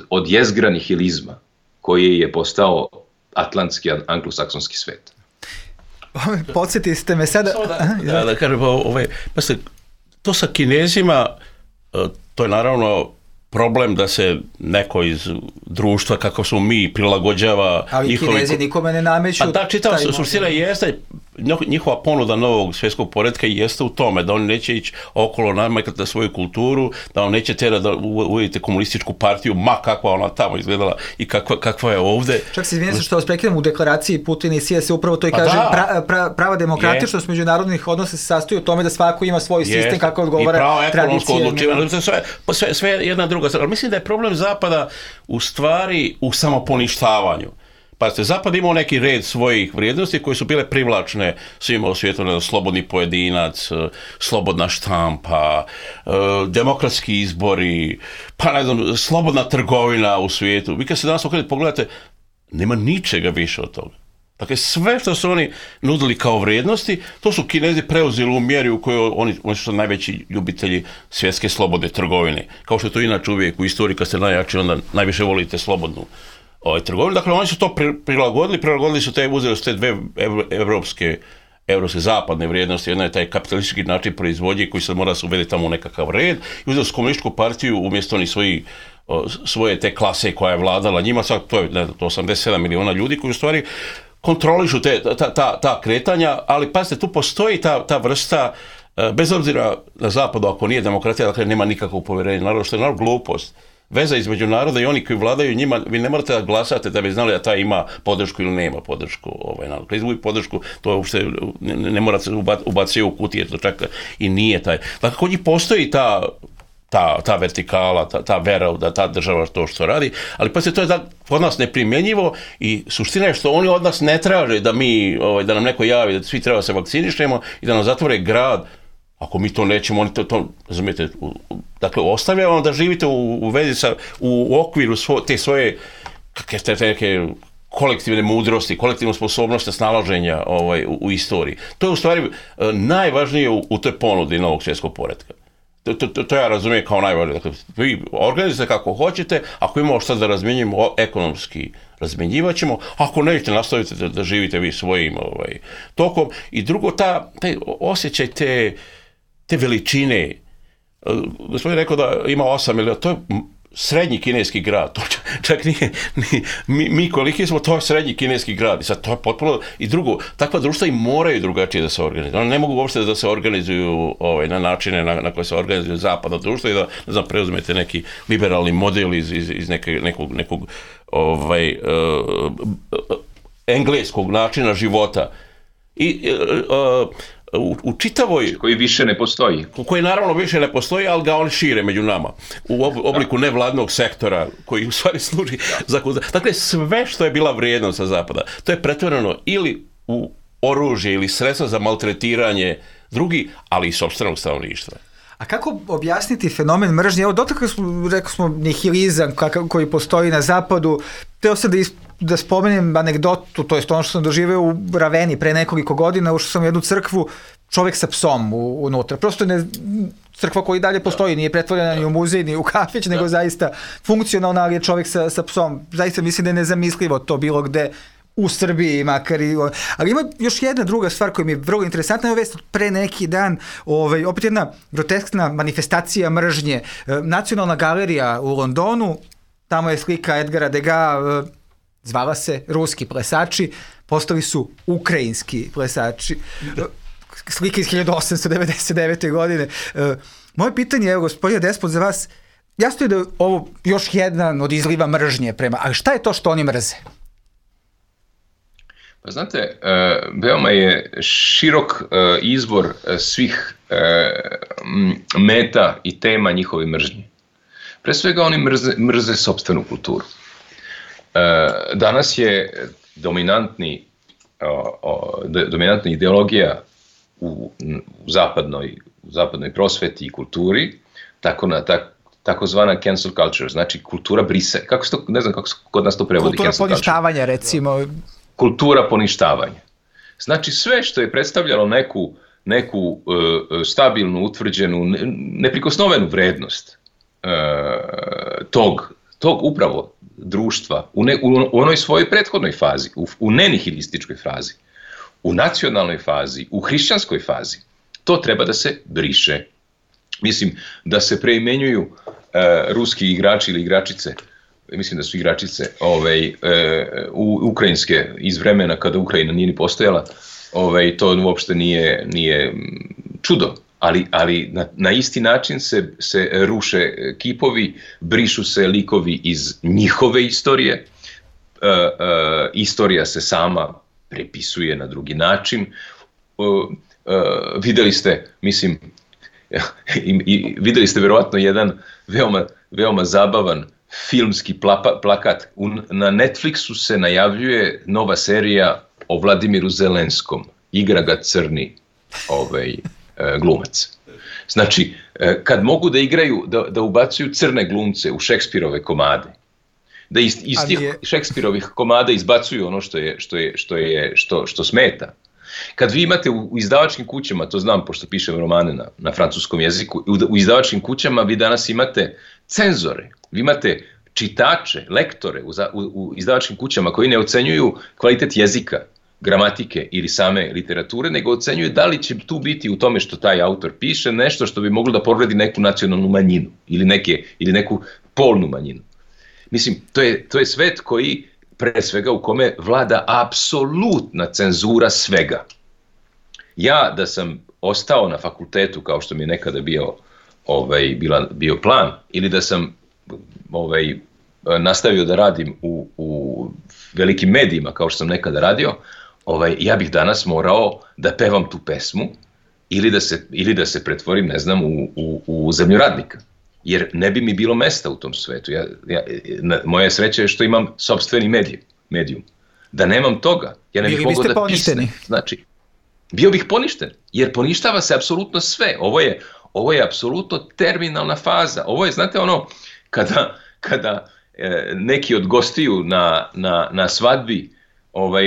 od jezgra nihilizma koji je postao atlantski, anglosaksonski svet. Podsjetili ste me sada... Da kažem, to sa Kinezima, to je naravno problem da se neko iz društva, kako smo mi, prilagođava... Ali Kinezi nikome ne nameću... Da, čitam, suština jeste, njihova ponuda novog svjetskog poretka jeste u tome, da oni neće ići okolo namakati na svoju kulturu, da on neće tjerati da uvedite komunističku partiju, ma kakva ona tamo izgledala i kakva je ovde. Čak se izvinjam što vas prekidam, u deklaraciji Putin i Sija se upravo to i kaže, prava demokratičnost međunarodnih odnosa se sastoji u tome da svako ima svoj sistem kako odgovara tradicije. Sve jedna druga stvar. Ali mislim da je problem Zapada u stvari u samoponištavanju. Pazite, Zapad imao neki red svojih vrijednosti koje su bile privlačne svima u svijetu, slobodni pojedinac, slobodna štampa, demokratski izbori, pa ne znam, slobodna trgovina u svijetu. Vi kad se danas pogledate, nema ničega više od toga. Dakle, sve što su oni nudili kao vrijednosti, to su Kinezi preuzeli u mjeri u kojoj oni su najveći ljubitelji svjetske slobodne trgovine. Kao što je to inače uvijek u istoriji, kad ste najjači, onda najviše volite slobodnu trgovinu. Dakle, oni su to prilagodili su uzeli su te dve evropske zapadne vrijednosti. Jedna je taj kapitalistički način proizvodnje koji se mora se uvede tamo u nekakav red i uzeli su komunističku partiju umjesto oni svoje te klase koja je vladala njima, sad to je 87 miliona ljudi koji u stvari kontrolišu ta kretanja, ali pazite, tu postoji ta vrsta, bez obzira na zapadu, ako nije demokratija, dakle nema nikakvog povjerenja, naravno što je naravno glupost. Veza između naroda i oni koji vladaju njima, vi ne morate da glasate da bi znali da taj ima podršku ili nema podršku. Kad izgubi podršku, to uopšte ne morate ubaciti u kutije, to čak i nije taj. Dakle, kod njih postoji ta vertikala, ta vera da ta država to što radi, ali pa se to je kod nas neprimjenjivo i suština je što oni od nas ne traže da nam neko javi da svi treba da se vakcinišemo i da nam zatvore grad. Ako mi to nećemo, oni to razumijete, dakle, ostavljamo da živite u okviru te svoje neke kolektivne mudrosti, kolektivne sposobnosti snalaženja u istoriji. To je u stvari najvažnije u toj ponudi novog svjetskog poretka. To ja razumijem kao najvažnije. Dakle, vi organizujete kako hoćete, ako imamo šta da razmjenjujemo ekonomski, razmjenjivat ćemo, ako nećete, nastavite da živite vi svojim tokom. I drugo, taj osjećaj te veličine. Gospodin je rekao da ima 8 miliona, to je srednji kineski grad, to čak nije, mi koliki smo, to je srednji kineski grad i sad to je potpuno, i drugo, takva društva i moraju drugačije da se organizuju, one ne mogu uopšte da se organizuju na načine na koje se organizuju zapadno društvo i da, ne znam, preuzmete neki liberalni model iz nekog engleskog načina života i u čitavoj... Koji više ne postoji. Koji naravno više ne postoji, ali ga oni šire među nama. U obliku nevladnog sektora koji u stvari služi za... Dakle, sve što je bila vrijednost sa zapada, to je pretvoreno ili u oružje ili sredstva za maltretiranje drugih, ali i sopstvenog stanovništva. A kako objasniti fenomen mržnje? Evo, rekao smo nihilizam koji postoji na zapadu. Teo sam da spomenem anegdotu, to je ono što sam doživeo u Raveni pre nekoliko godina, ušao sam u jednu crkvu, čovek sa psom unutra. Prosto crkva koja i dalje postoji, nije pretvorena ni u muzej, ni u kafić, nego zaista funkcionalna, ali je čovek sa psom. Zaista mislim da je nezamislivo to bilo gde u Srbiji, makar i... Ali ima još jedna druga stvar koja mi je vrlo interesantna, je vest pre neki dan, opet jedna groteskna manifestacija mržnje. Nacionalna galerija u Londonu, tamo je slika Edgara Degas, zvala se Ruski plesači, postali su ukrajinski plesači. slike iz 1899. godine. Moje pitanje je, gospodine Despot, za vas, jasno je da je ovo još jedan od izliva mržnje prema, ali šta je to što oni mrze? Pa znate, veoma je širok izbor svih meta i tema njihove mržnje. Pre svega oni mrze sopstvenu kulturu. Danas je dominantna ideologija u zapadnoj prosveti i kulturi, takozvana cancel culture, znači kultura brise. Ne znam kako se kod nas to prevodi. Kultura poništavanja, recimo. Kultura poništavanja. Znači sve što je predstavljalo neku stabilnu, utvrđenu, neprikosnovenu vrednost tog upravo društva u onoj svojoj prethodnoj fazi, u nenihilističkoj fazi, u nacionalnoj fazi, u hrišćanskoj fazi, to treba da se briše. Mislim da se preimenjuju ruski igrači ili igračice, mislim da su igračice ukrajinske iz vremena kada Ukrajina nije ni postojala, to uopšte nije čudo. Ali na isti način se ruše kipovi, brišu se likovi iz njihove istorije, istorija se sama prepisuje na drugi način. Videli ste, mislim, videli ste verovatno jedan veoma zabavan filmski plakat. Na Netflixu se najavljuje nova serija o Vladimiru Zelenskom. Igra ga crni glumac. Znači, kad mogu da igraju, da ubacuju crne glumce u Šekspirove komade, da iz tih Šekspirovih komada izbacuju ono što smeta. Kad vi imate u izdavačkim kućama, to znam pošto pišem romane na francuskom jeziku, u izdavačkim kućama vi danas imate cenzore, vi imate čitače, lektore u izdavačkim kućama koji ne ocenjuju kvalitet jezika, gramatike ili same literature, nego ocenjuju da li će tu biti u tome što taj autor piše nešto što bi moglo da povredi neku nacionalnu manjinu ili neku polnu manjinu. Mislim, to je svet koji, pre svega, u kome vlada apsolutna cenzura svega. Ja da sam ostao na fakultetu kao što mi je nekada bio plan, ili da sam nastavio da radim u velikim medijima kao što sam nekada radio, ja bih danas morao da pevam tu pesmu ili da se pretvorim, ne znam, u zemljoradnika. Jer ne bi mi bilo mesta u tom svetu. Moja sreća je što imam sopstveni medijum. Da nemam toga, ja ne bih mogao da pisam. Znači, bio bih poništen, jer poništava se apsolutno sve. Ovo je apsolutno terminalna faza. Ovo je, znate, ono, kada neki od gostiju na svadbi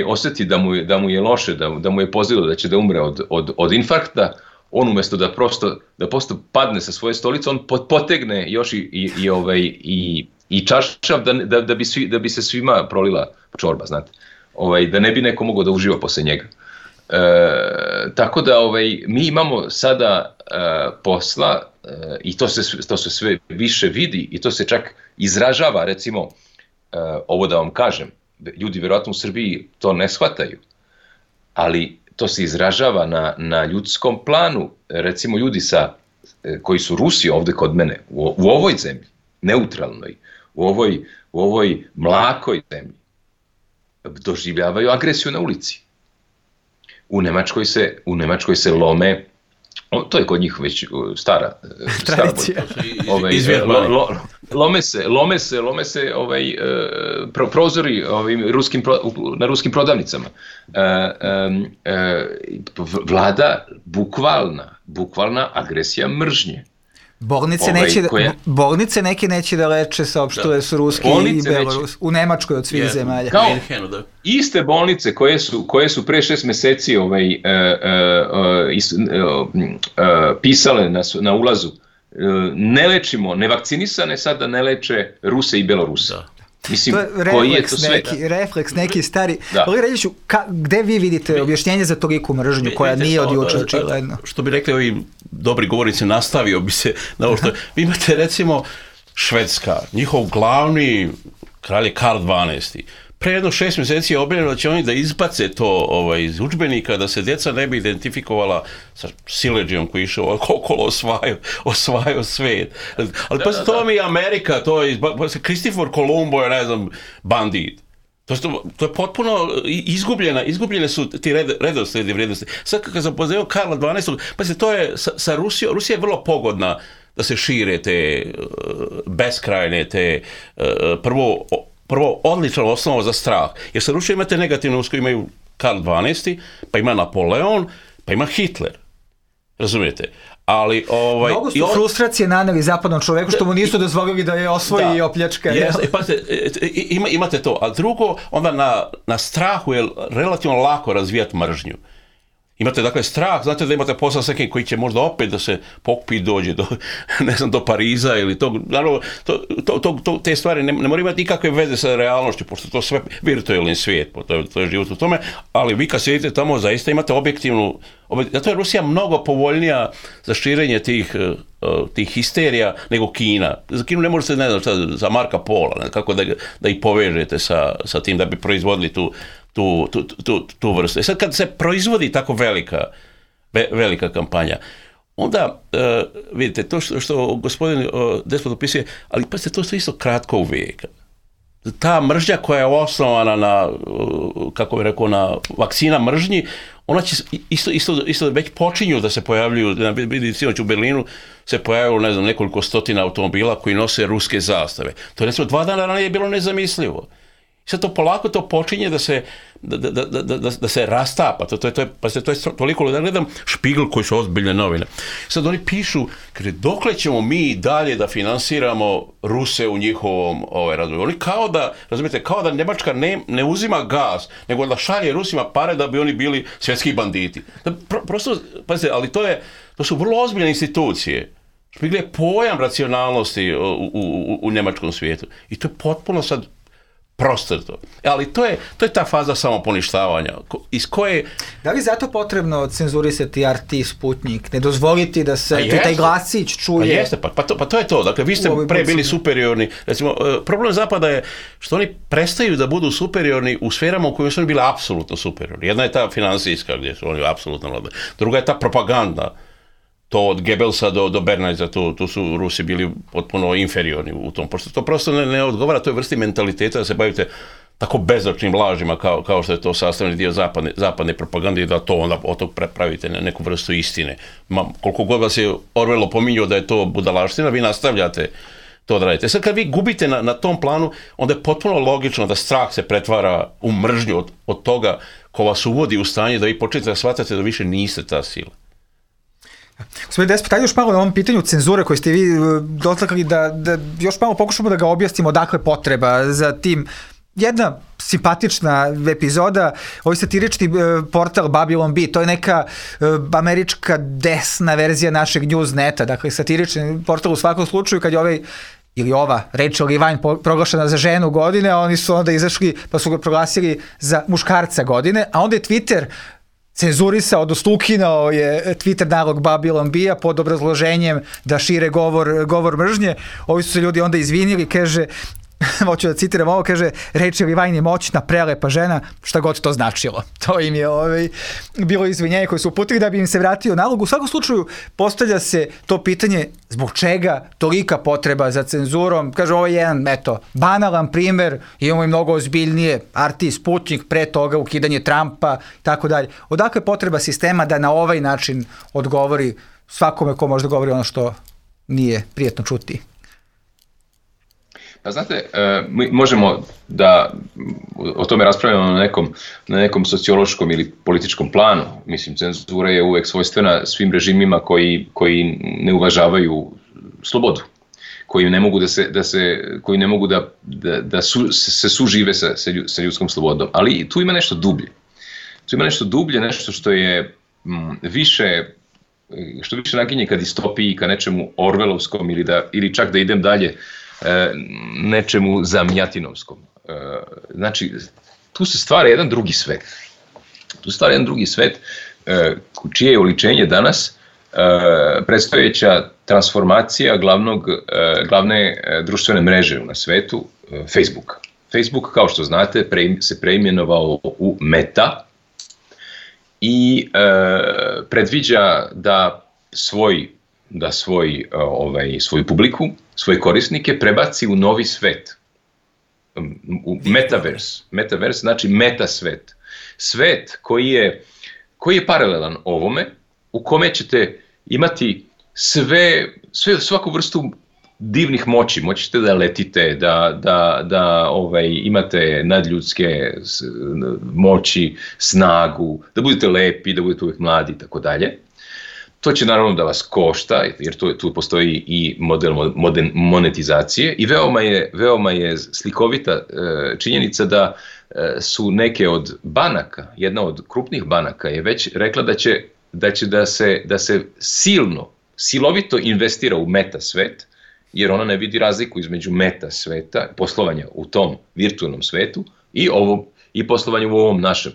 osjeti da mu je loše, da mu je pozivilo da će da umre od infarkta, on umjesto da prosto padne sa svoje stolice, on potegne još i čašav da bi se svima prolila čorba, znate. Da ne bi neko mogao da uživa posle njega. Tako da mi imamo sada posla i to se sve više vidi i to se čak izražava, recimo, ovo da vam kažem, ljudi vjerojatno u Srbiji to ne shvataju, ali to se izražava na ljudskom planu. Recimo ljudi koji su Rusi ovde kod mene, u ovoj zemlji, neutralnoj, u ovoj mlakoj zemlji, doživljavaju agresiju na ulici. U Nemačkoj se lome, to je kod njih već stara tradicija. Lome se prozori na ruskim prodavnicama. Vlada bukvalna agresija mržnje. Bolnice neke neće da leče, saopštile su Ruski i Belorus. U Nemačkoj od svih zemalja. Iste bolnice koje su pre 6 meseci pisale na ulazu, ne lečimo nevakcinisane, sada ne leče Ruse i Belorusa. Mislim, koji je to sve? Refleks neki stari. Ali Reljiću, gde vi vidite objašnjenje za toliku mržnju koja nije od juče očigledno? Što bi rekli ovi dobri govornici, nastavio bi se na ovo što... Vi imate recimo Švedska, njihov glavni kralj je Karl XII. pre jedno 6 mjeseci je objavljeno da će oni da izbace to iz udžbenika, da se djeca ne bi identifikovala sa siledžijom koji je išao okolo osvajao svijet. Ali pa to vam je Amerika, to je Kristofor Kolumbo je, ne znam, bandit. To je potpuno izgubljene su ti redoslijedi vrijednosti. Sad kad sam pozivao Karla XII, pa to je sa Rusijom, Rusija je vrlo pogodna da se šire te beskrajne, te prvo odlična osnova za strah. Jer sa Rusijom imate negativnu usku, imaju Karl XII, pa ima Napoleon, pa ima Hitler. Razumijete? Ali mnogo su frustracije naneli zapadnom čoveku što mu nisu dozvolili da je osvoji i opljačka. Imate to. A drugo, onda na strahu je relativno lako razvijati mržnju. Imate dakle strah, znate da imate posao s nekim koji će možda opet da se pokupi i dođe do Pariza ili tog, naravno, te stvari ne moraju imati nikakve veze sa realnošću, pošto to sve virtualni svijet, to je život u tome, ali vi kad sjedite tamo zaista imate objektivnu, zato je Rusija mnogo povoljnija za širenje tih histerija nego Kina. Za Kinu ne možete, ne znam šta, za Marka Pola, kako da ih povežete sa tim da bi proizvodili tu vrstu. Sad kad se proizvodi tako velika kampanja, onda vidite, to što gospodin Despot opisuje, ali pa to isto kratko vijeka. Ta mržnja koja je osnovana na, kako bih rekao, na vakcina mržnji, ona će isto već počinju da se pojavljuju, vidi sinoć u Berlinu se pojavilo, ne znam, nekoliko stotina automobila koji nose ruske zastave. To je recimo 2 dana ranije bilo nezamislivo. Sad to polako to počinje da se rastapa. To je toliko, da gledam Špigl koji su ozbiljne novine. Sad oni pišu, kaže, dokle ćemo mi dalje da finansiramo Ruse u njihovom razvoju. Oni kao da Njemačka ne uzima gas, nego da šalje Rusima pare da bi oni bili svjetski banditi. Prosto, pazite, ali to su vrlo ozbiljne institucije. Špigl je pojam racionalnosti u njemačkom svijetu. I to je potpuno sad prostrto. Ali to je ta faza samoponištavanja iz koje... Da li zato potrebno cenzurisati RT Sputnik, ne dozvoliti da se taj glasić čuje? Pa jeste, pa to je to. Dakle, vi ste pre bili superiorni. Recimo, problem Zapada je što oni prestaju da budu superiorni u sferama u kojima su oni bili apsolutno superiorni. Jedna je ta finansijska, gdje su oni apsolutno vladali. Druga je ta propaganda. To od Goebbelsa do Bernajza, tu su Rusi bili potpuno inferiorni u tom. Pošto to prosto ne odgovara toj vrsti mentaliteta da se bavite tako bezočnim lažima kao što je to sastavni dio zapadne propagande i da to onda od tog pravite neku vrstu istine. Koliko god vas je Orwell opominjao da je to budalaština, vi nastavljate to da radite. Sad kad vi gubite na tom planu, onda je potpuno logično da strah se pretvara u mržnju od toga ko vas uvodi u stanje da vi počnete da shvatate da više niste ta sila. Gospodin Despot, ajde još malo na ovom pitanju cenzure koje ste vi dotakli da još malo pokušamo da ga objasnimo odakle potreba za tim. Jedna simpatična epizoda, ovaj satirični portal Babylon Bee, to je neka američka desna verzija našeg Newsneta, dakle satirični portal u svakom slučaju kad je ovaj ili ova Rachel Levine proglašena za ženu godine, a oni su onda izašli pa su ga proglasili za muškarca godine, a onda je Twitter cenzurisao, odnosno ukinao je Twitter nalog Babylon Bee-a pod obrazloženjem da šire govor mržnje. Ovi su se ljudi onda izvinili, kaže, hoću da citiram ovo, kaže, Rachel Levine je moćna, prelepa žena, šta god to značilo. To im je bilo izvinjenje koje su uputili da bi im se vratio nalog. U svakom slučaju postavlja se to pitanje zbog čega tolika potreba za cenzurom. Kaže, ovo je jedan, banalan primer, imamo i mnogo ozbiljnije, RT Sputnik, pre toga ukidanje Trumpa, tako dalje. Odakle potreba sistema da na ovaj način odgovori svakome ko možda govori ono što nije prijetno čuti? Pa znate, mi možemo da o tome raspravljamo na nekom sociološkom ili političkom planu. Mislim, cenzura je uvek svojstvena svim režimima koji ne uvažavaju slobodu, koji ne mogu da se sužive sa ljudskom slobodom. Ali tu ima nešto dublje. Tu ima nešto dublje, nešto što je više naginje ka distopiji, ka nečemu orvelovskom ili čak da idem dalje, nečemu zamjatinovskom. Znači, tu se stvara jedan drugi svet. Tu se stvara jedan drugi svet čije je oličenje danas predstojeća transformacija glavne društvene mreže na svetu, Facebook. Facebook, kao što znate, se preimenovao u Meta i predviđa da svoju publiku, svoje korisnike prebaci u novi svet, u metaverse. Metaverse znači meta svet. Svet koji je paralelan ovome, u kome ćete imati svaku vrstu divnih moći. Moćete da letite, da imate nadljudske moći, snagu, da budete lepi, da budete uvijek mladi i tako dalje. To će naravno da vas košta, jer tu postoji i model monetizacije i veoma je slikovita činjenica da su neke od banaka, jedna od krupnih banaka je već rekla da se silovito investira u meta svet, jer ona ne vidi razliku između meta sveta, poslovanja u tom virtualnom svetu i poslovanja u ovom našem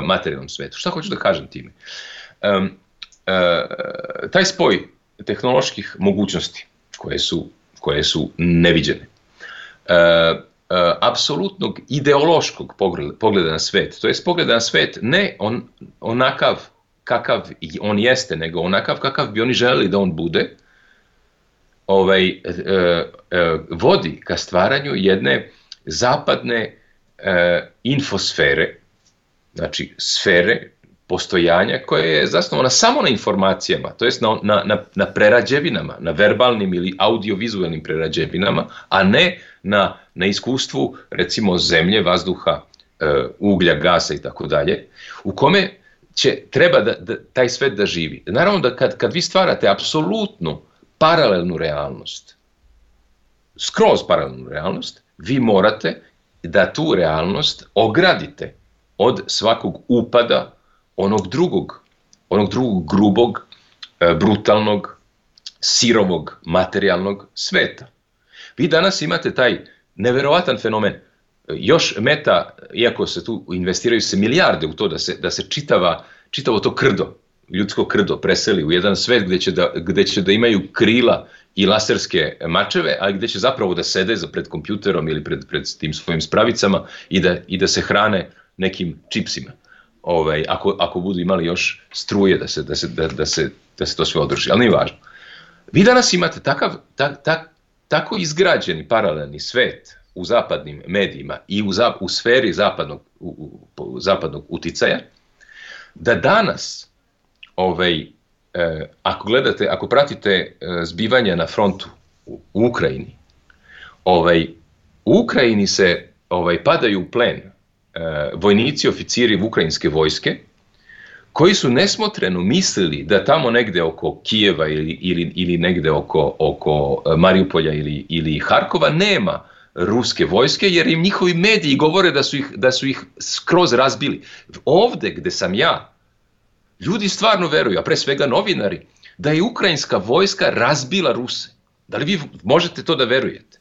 materijalnom svetu. Šta hoću da kažem time? Taj spoj tehnoloških mogućnosti koje su neviđene, apsolutnog ideološkog pogleda na svet, to jest pogleda na svet ne onakav kakav on jeste, nego onakav kakav bi oni želeli da on bude, vodi ka stvaranju jedne zapadne infosfere, znači sfere postojanja koja je zasnovana samo na informacijama, to jest na prerađevinama, na verbalnim ili audiovizualnim prerađevinama, a ne na iskustvu recimo zemlje, vazduha, uglja, gasa i tako dalje, u kome treba da taj svet da živi. Naravno da kad vi stvarate apsolutnu paralelnu realnost, skroz paralelnu realnost, vi morate da tu realnost ogradite od svakog upada onog drugog grubog, brutalnog, sirovog, materijalnog sveta. Vi danas imate taj neverovatan fenomen. Još Meta, iako se tu investiraju se milijarde u to da se čitavo to krdo, ljudsko krdo preseli u jedan svet gde će da imaju krila i laserske mačeve, ali gde će zapravo da sede pred kompjuterom ili pred tim svojim spravicama i da se hrane nekim čipsima. Ako budu imali još struje da se to sve održi, ali nije važno. Vi danas imate tako izgrađeni paralelni svet u zapadnim medijima i u sferi zapadnog uticaja, da danas, ako pratite zbivanja na frontu u Ukrajini, u Ukrajini se padaju u plen vojnici, oficiri ukrajinske vojske, koji su nesmotreno mislili da tamo negde oko Kijeva ili negde oko Mariupolja ili Harkova nema ruske vojske, jer im njihovi mediji govore da su ih skroz razbili. Ovde gde sam ja, ljudi stvarno veruju, a pre svega novinari, da je ukrajinska vojska razbila Ruse. Da li vi možete to da verujete?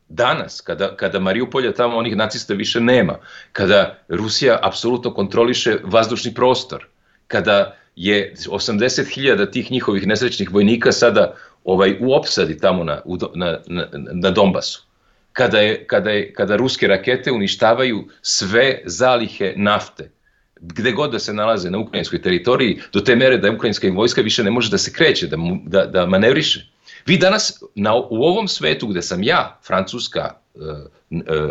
Danas, kada Mariupolja tamo onih nacista više nema, kada Rusija apsolutno kontroliše vazdušni prostor, kada je 80.000 tih njihovih nesrećnih vojnika sada u opsadi tamo na Donbasu, kada ruske rakete uništavaju sve zalihe nafte, gde god da se nalaze na ukrajinskoj teritoriji, do te mere da ukrajinska vojska više ne može da se kreće, da manevriše. Vi danas u ovom svetu gde sam ja, Francuska,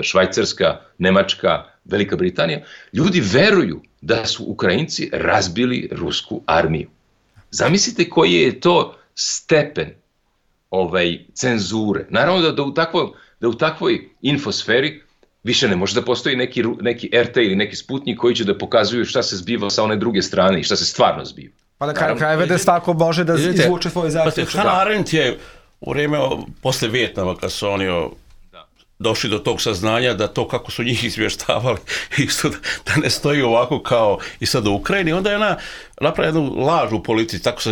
Švajcarska, Nemačka, Velika Britanija, ljudi veruju da su Ukrajinci razbili rusku armiju. Zamislite koji je to stepen cenzure. Naravno da u takvoj infosferi više ne može da postoji neki RT ili neki Sputnik koji će da pokazuju šta se zbiva sa one druge strane i šta se stvarno zbiva. Pa da krajeve da svako može da izvuče svoje zaključke. Hannah Arendt je u vrijeme posle Vijetnama, kad su oni došli do tog saznanja da to kako su njih izvještavali isto da ne stoji ovako kao i sad u Ukrajini, onda je ona napravila jednu laž u politici, tako se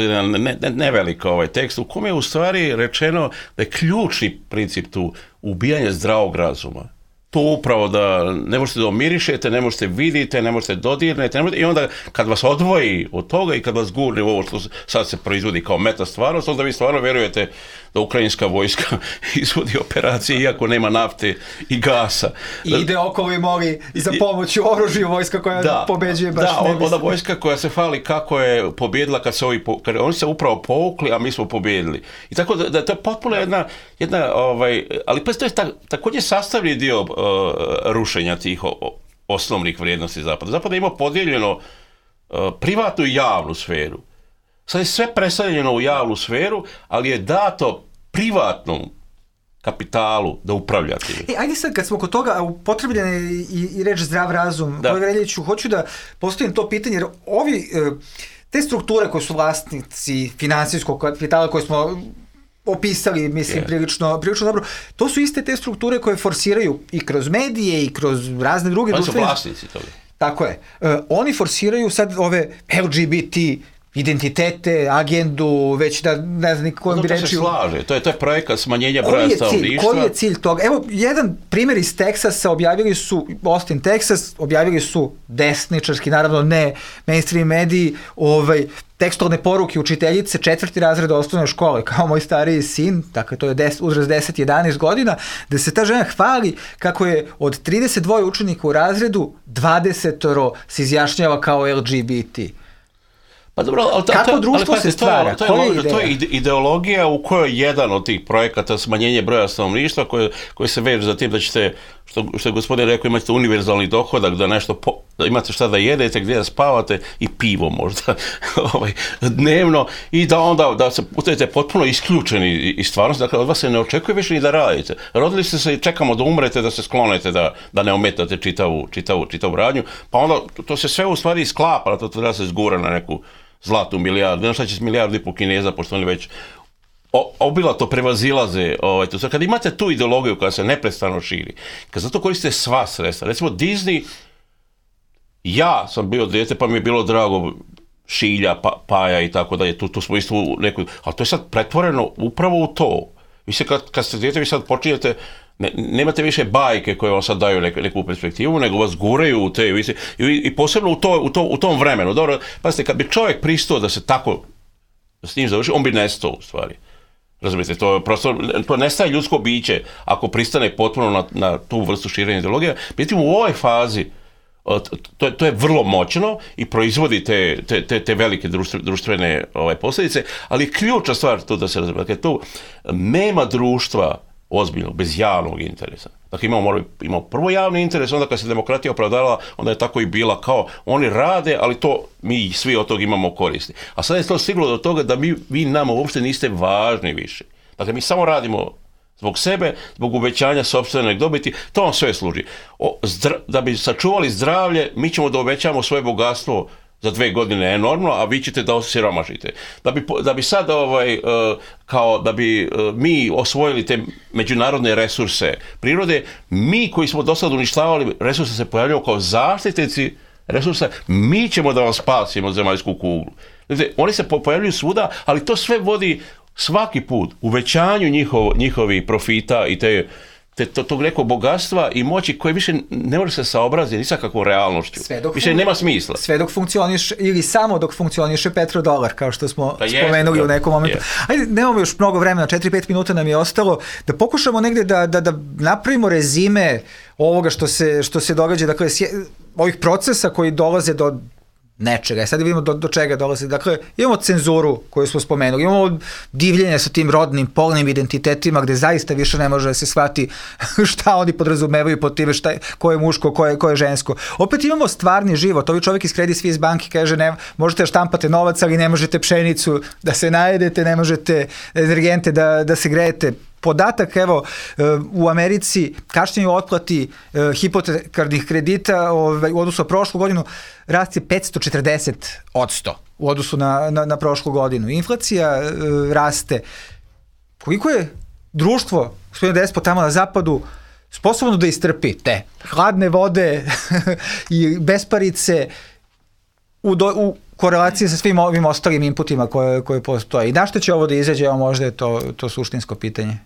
nevelik tekst u kome je u stvari rečeno da je ključni princip tu ubijanje zdravog razuma. to upravo da ne možete da omirišete, ne možete vidite, ne možete dodirnete, i onda kad vas odvoji od toga i kad vas gurne u ovo što sad se proizvodi kao meta stvarnost, onda vi stvarno verujete da ukrajinska vojska izvodi operacije iako nema nafte i gasa. I ide okolo i moli za pomoć u oružju vojska koja pobeđuje baš ne misli. Onda vojska koja se hvali kako je pobjedila kad oni se upravo povukli, a mi smo pobjedili. I tako da to je potpuno jedna ali pa to je također sastavni dio rušenja tih osnovnih vrijednosti Zapada. Zapad je imao podijeljeno privatnu i javnu sferu. Sad je sve preseljeno u javnu sferu, ali je dato privatnom kapitalu da upravlja tim. Ajde sad, kad smo kod toga, upotrebljen je i reč zdrav razum. Kolega Reljiću, hoću da postavim to pitanje, jer te strukture koje su vlasnici finansijskog kapitala koje smo opisali, mislim, prilično dobro. To su iste te strukture koje forsiraju i kroz medije i kroz razne druge društvene... Oni su vlasnici toga. Tako je. Oni forsiraju sad ove LGBT identitete, agendu, već da ne znam kojom bi reći... To se slaže, to je projekat smanjenja broja stanovništva. Koji je cilj toga? Evo, jedan primjer iz Teksasa, Austin, Texas, objavili su desničarski, naravno ne mainstream mediji, tekstualne poruke učiteljice 4. razreda osnovne škole, kao moj stariji sin, dakle to je uzrast 10-11 godina, da se ta žena hvali kako je od 32 učenika u razredu 20 se izjašnjava kao LGBT. Pa dobro, kako društvo se stvara? To je ideologija u kojoj jedan od tih projekata smanjenje broja stanovništva koje se veže za tim da ćete, što je gospodin rekao, imate univerzalni dohodak, da nešto da imate šta da jedete, gdje da spavate i pivo možda dnevno i da onda da se budete potpuno isključeni iz stvarnosti, dakle od vas se ne očekuje više ni da radite. Rodili ste se i čekamo da umrete, da se sklonete, da ne ometate čitavu radnju, pa onda to se sve u stvari sklapa, to treba se zgura na neku zlatnu milijardu, ne šta će s 1,5 milijardu Kineza, pošto oni već obilato prevazilaze. Kad imate tu ideologiju koja se neprestano širi, kad zato koriste sva sredstva, recimo Disney, ja sam bio dijete pa mi je bilo drago Šilja, Paja i tako dalje, tu smo isto u nekoj, ali to je sad pretvoreno upravo u to. Vi se kad ste dijete, vi sad počinjete, nemate više bajke koje vam sad daju neku perspektivu, nego vas guraju u te, i posebno u tom vremenu. Dobro, pazite, kad bi čovjek pristao da se tako s njim završi, on bi nestao u stvari. Razumijete, to nestaje ljudsko biće ako pristane potpuno na tu vrstu širenja ideologije. Međutim, u ovoj fazi to je vrlo moćno i proizvodi te velike društvene posljedice, ali ključna stvar tu da se razumije, dakle, tu nema društva ozbiljno, bez javnog interesa. Dakle, imamo prvo javni interes, onda kad se demokratija opravdavala, onda je tako i bila kao oni rade, ali to mi svi od toga imamo koristi. A sad je to stiglo do toga da vi nama uopšte niste važni više. Dakle, mi samo radimo zbog sebe, zbog uvećanja sopstvene dobiti, to vam sve služi. Da bi sačuvali zdravlje, mi ćemo da uvećamo svoje bogatstvo za 2 godine enormno, a vi ćete da osiromašite. Da bi sad, da bi mi osvojili te međunarodne resurse prirode, mi koji smo do sad uništavali resurse se pojavljamo kao zaštitnici resursa, mi ćemo da vam spasimo zemaljsku kuglu. Dakle, oni se pojavljuju svuda, ali to sve vodi svaki put uvećanju njihovih profita i tog nekog bogatstva i moći koje više ne može se saobraziti ni sa kakvom realnošću. Više nema smisla. Sve dok funkcioniše, ili samo dok funkcioniše petrodolar, kao što smo spomenuli u nekom momentu. Ajde, nemamo još mnogo vremena, 4-5 minuta nam je ostalo, da pokušamo negdje da napravimo rezime ovoga što se događa, dakle, ovih procesa koji dolaze do nečega. Sad vidimo do čega dolazi. Dakle, imamo cenzuru koju smo spomenuli, imamo divljenje sa tim rodnim, polnim identitetima gde zaista više ne može da se shvati šta oni podrazumevaju pod time, ko je muško, ko je žensko. Opet imamo stvarni život. Ovi čovjek iz Credit Suisse banke kaže možete štampate novac, ali ne možete pšenicu da se najedete, ne možete energente da se grejete. Podatak, evo, u Americi kašnjenje u otplati hipotekarnih kredita u odnosu na prošlu godinu rast je 540% u odnosu na prošlu godinu. Inflacija raste. Koliko je društvo, gospodine Despot, tamo na zapadu sposobno da istrpi te hladne vode i besparice u korelaciji sa svim ovim ostalim inputima koje postoje. I na što će ovo da izađe, možda je to suštinsko pitanje.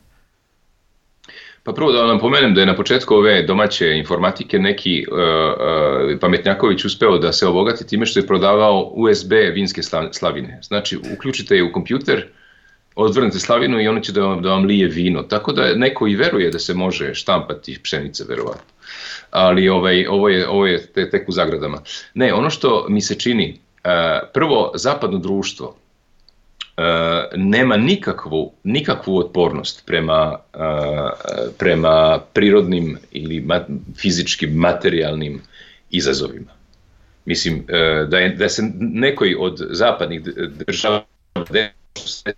Pa prvo da vam napomenem da je na početku ove domaće informatike neki pametnjaković uspeo da se obogati time što je prodavao USB vinske slavine. Znači, uključite je u kompjuter, odvrnete slavinu i ono će da vam lije vino. Tako da neko i veruje da se može štampati pšenica, verovatno. Ali ovo je tek u zagradama. Ne, ono što mi se čini, prvo, zapadno društvo nema nikakvu otpornost prema prirodnim ili fizičkim, materijalnim izazovima. Mislim, da se nekoj od zapadnih država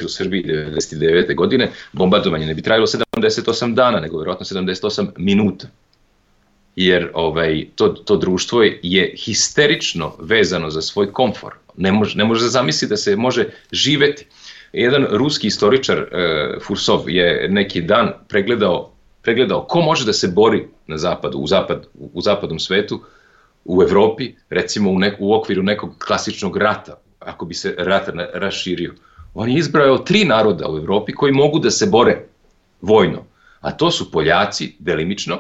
u Srbiji 1999. godine bombardovanje ne bi trajalo 78 dana, nego vjerojatno 78 minuta. Jer to društvo je histerično vezano za svoj komfor. Ne može da zamisli da se može živeti. Jedan ruski istoričar, Fursov, je neki dan pregledao ko može da se bori na zapadu, u zapadnom svetu, u Evropi, recimo u okviru nekog klasičnog rata, ako bi se rat raširio. On je izbrao 3 naroda u Evropi koji mogu da se bore vojno, a to su Poljaci, delimično,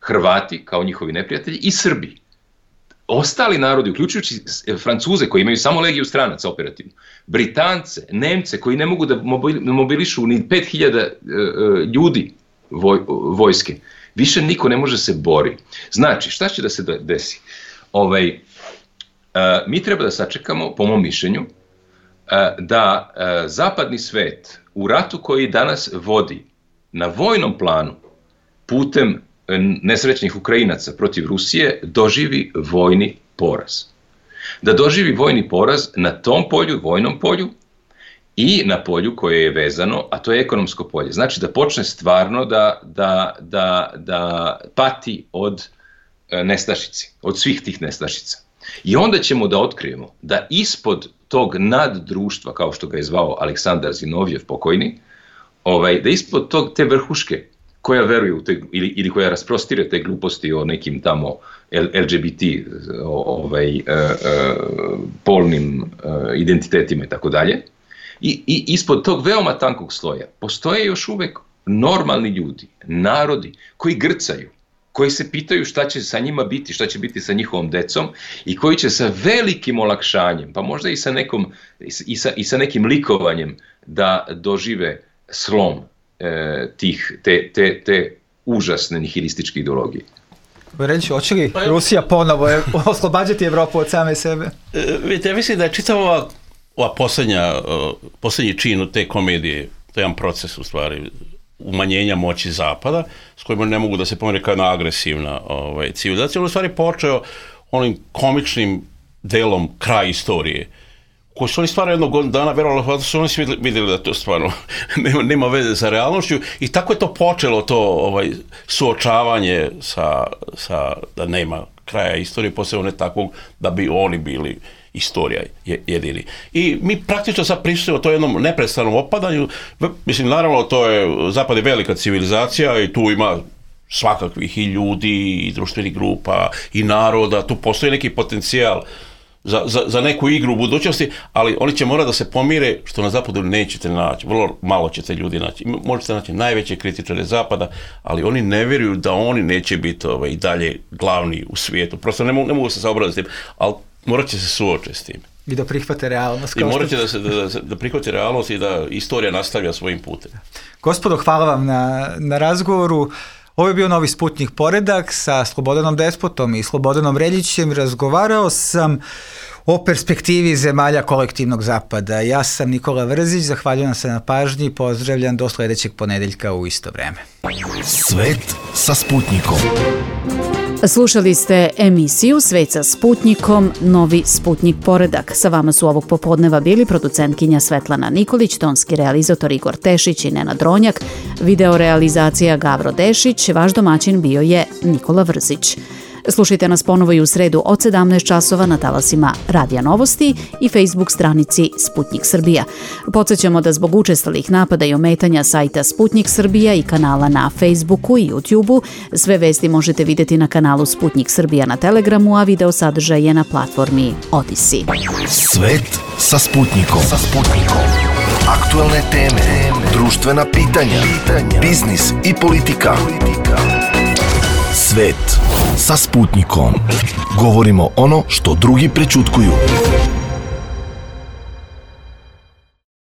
Hrvati kao njihovi neprijatelji i Srbi. Ostali narodi, uključujući Francuze koji imaju samo legiju stranaca operativno, Britance, Nemce koji ne mogu da mobilišu ni 5000 ljudi vojske, više niko ne može se bori. Znači, šta će da se desi? Mi treba da sačekamo, po mom mišljenju, da zapadni svet u ratu koji danas vodi na vojnom planu putem nesrećnih Ukrajinaca protiv Rusije doživi vojni poraz. Da doživi vojni poraz na tom polju, vojnom polju i na polju koje je vezano, a to je ekonomsko polje. Znači da počne stvarno da pati od nestašici, od svih tih nestašica. I onda ćemo da otkrijemo da ispod tog naddruštva, kao što ga je zvao Aleksandar Zinovjev pokojni, da ispod te vrhuške koja veruje u te, ili koja rasprostire te gluposti o nekim tamo LGBT polnim identitetima i tako dalje, i ispod tog veoma tankog sloja postoje još uvek normalni ljudi, narodi koji grcaju, koji se pitaju šta će sa njima biti, šta će biti sa njihovom decom i koji će sa velikim olakšanjem, pa možda i sa nekim likovanjem da dožive slom te užasne nihilističke ideologije. Reći, hoće li Rusija ponovo oslobađati Evropu od same sebe? Vidite, ja mislim da je čitava ova posljednji čin te komedije, to je jedan proces u stvari umanjenja moći Zapada, s kojima ne mogu da se pomene kao jedna agresivna civilizacija. On u stvari počeo onim komičnim delom kraj istorije, koji su oni stvarno jednog dana verovali, da su oni svi vidjeli da to stvarno nema veze sa realnošću, i tako je to počelo, to suočavanje da nema kraja istorije, posebno ne takvog da bi oni bili istorija jedini. I mi praktično sad prisutimo to jednom neprestanom opadanju. Mislim, naravno, Zapad je velika civilizacija i tu ima svakakvih i ljudi, i društvenih grupa, i naroda, tu postoji neki potencijal za neku igru u budućnosti, ali oni će morati da se pomire, što na Zapadu nećete naći, vrlo malo ćete ljudi naći. Možete naći najveće kritičare Zapada, ali oni ne vjeruju da oni neće biti i dalje glavni u svijetu. Prosto ne mogu se saobraziti s tim, ali morat će se suočiti s tim. I da prihvate realnost. I morat će da prihvate realnost i da istorija nastavlja svojim putem. Gospodo, hvala vam na razgovoru. Ovo je bio Novi Sputnjik Poredak sa Slobodanom Despotom i Slobodanom Reljićem. Razgovarao sam o perspektivi zemalja kolektivnog zapada. Ja sam Nikola Vrzić, zahvaljujem se na pažnji i pozdravljam do sledećeg ponedeljka u isto vreme. Svet sa Sputnjikom. Slušali ste emisiju Svet sa Sputnjikom, Novi Sputnjik Poredak. Sa vama su ovog popodneva bili producentkinja Svetlana Nikolić, tonski realizator Igor Tešić i Nenad Ronjak, video realizacija Gavro Dešić, vaš domaćin bio je Nikola Vrzić. Slušajte nas ponovo i u sredu od 17 časova na talasima Radija Novosti i Facebook stranici Sputnik Srbija. Podsjećamo da zbog učestalih napada i ometanja sajta Sputnik Srbija i kanala na Facebooku i YouTubeu, sve vesti možete vidjeti na kanalu Sputnik Srbija na Telegramu, a video sadržaj je na platformi Odyssey. Svet sa Sputnikom. Aktualne teme, društvena pitanja, biznis i politika. Svet sa Sputnikom. Govorimo ono što drugi prećutkuju.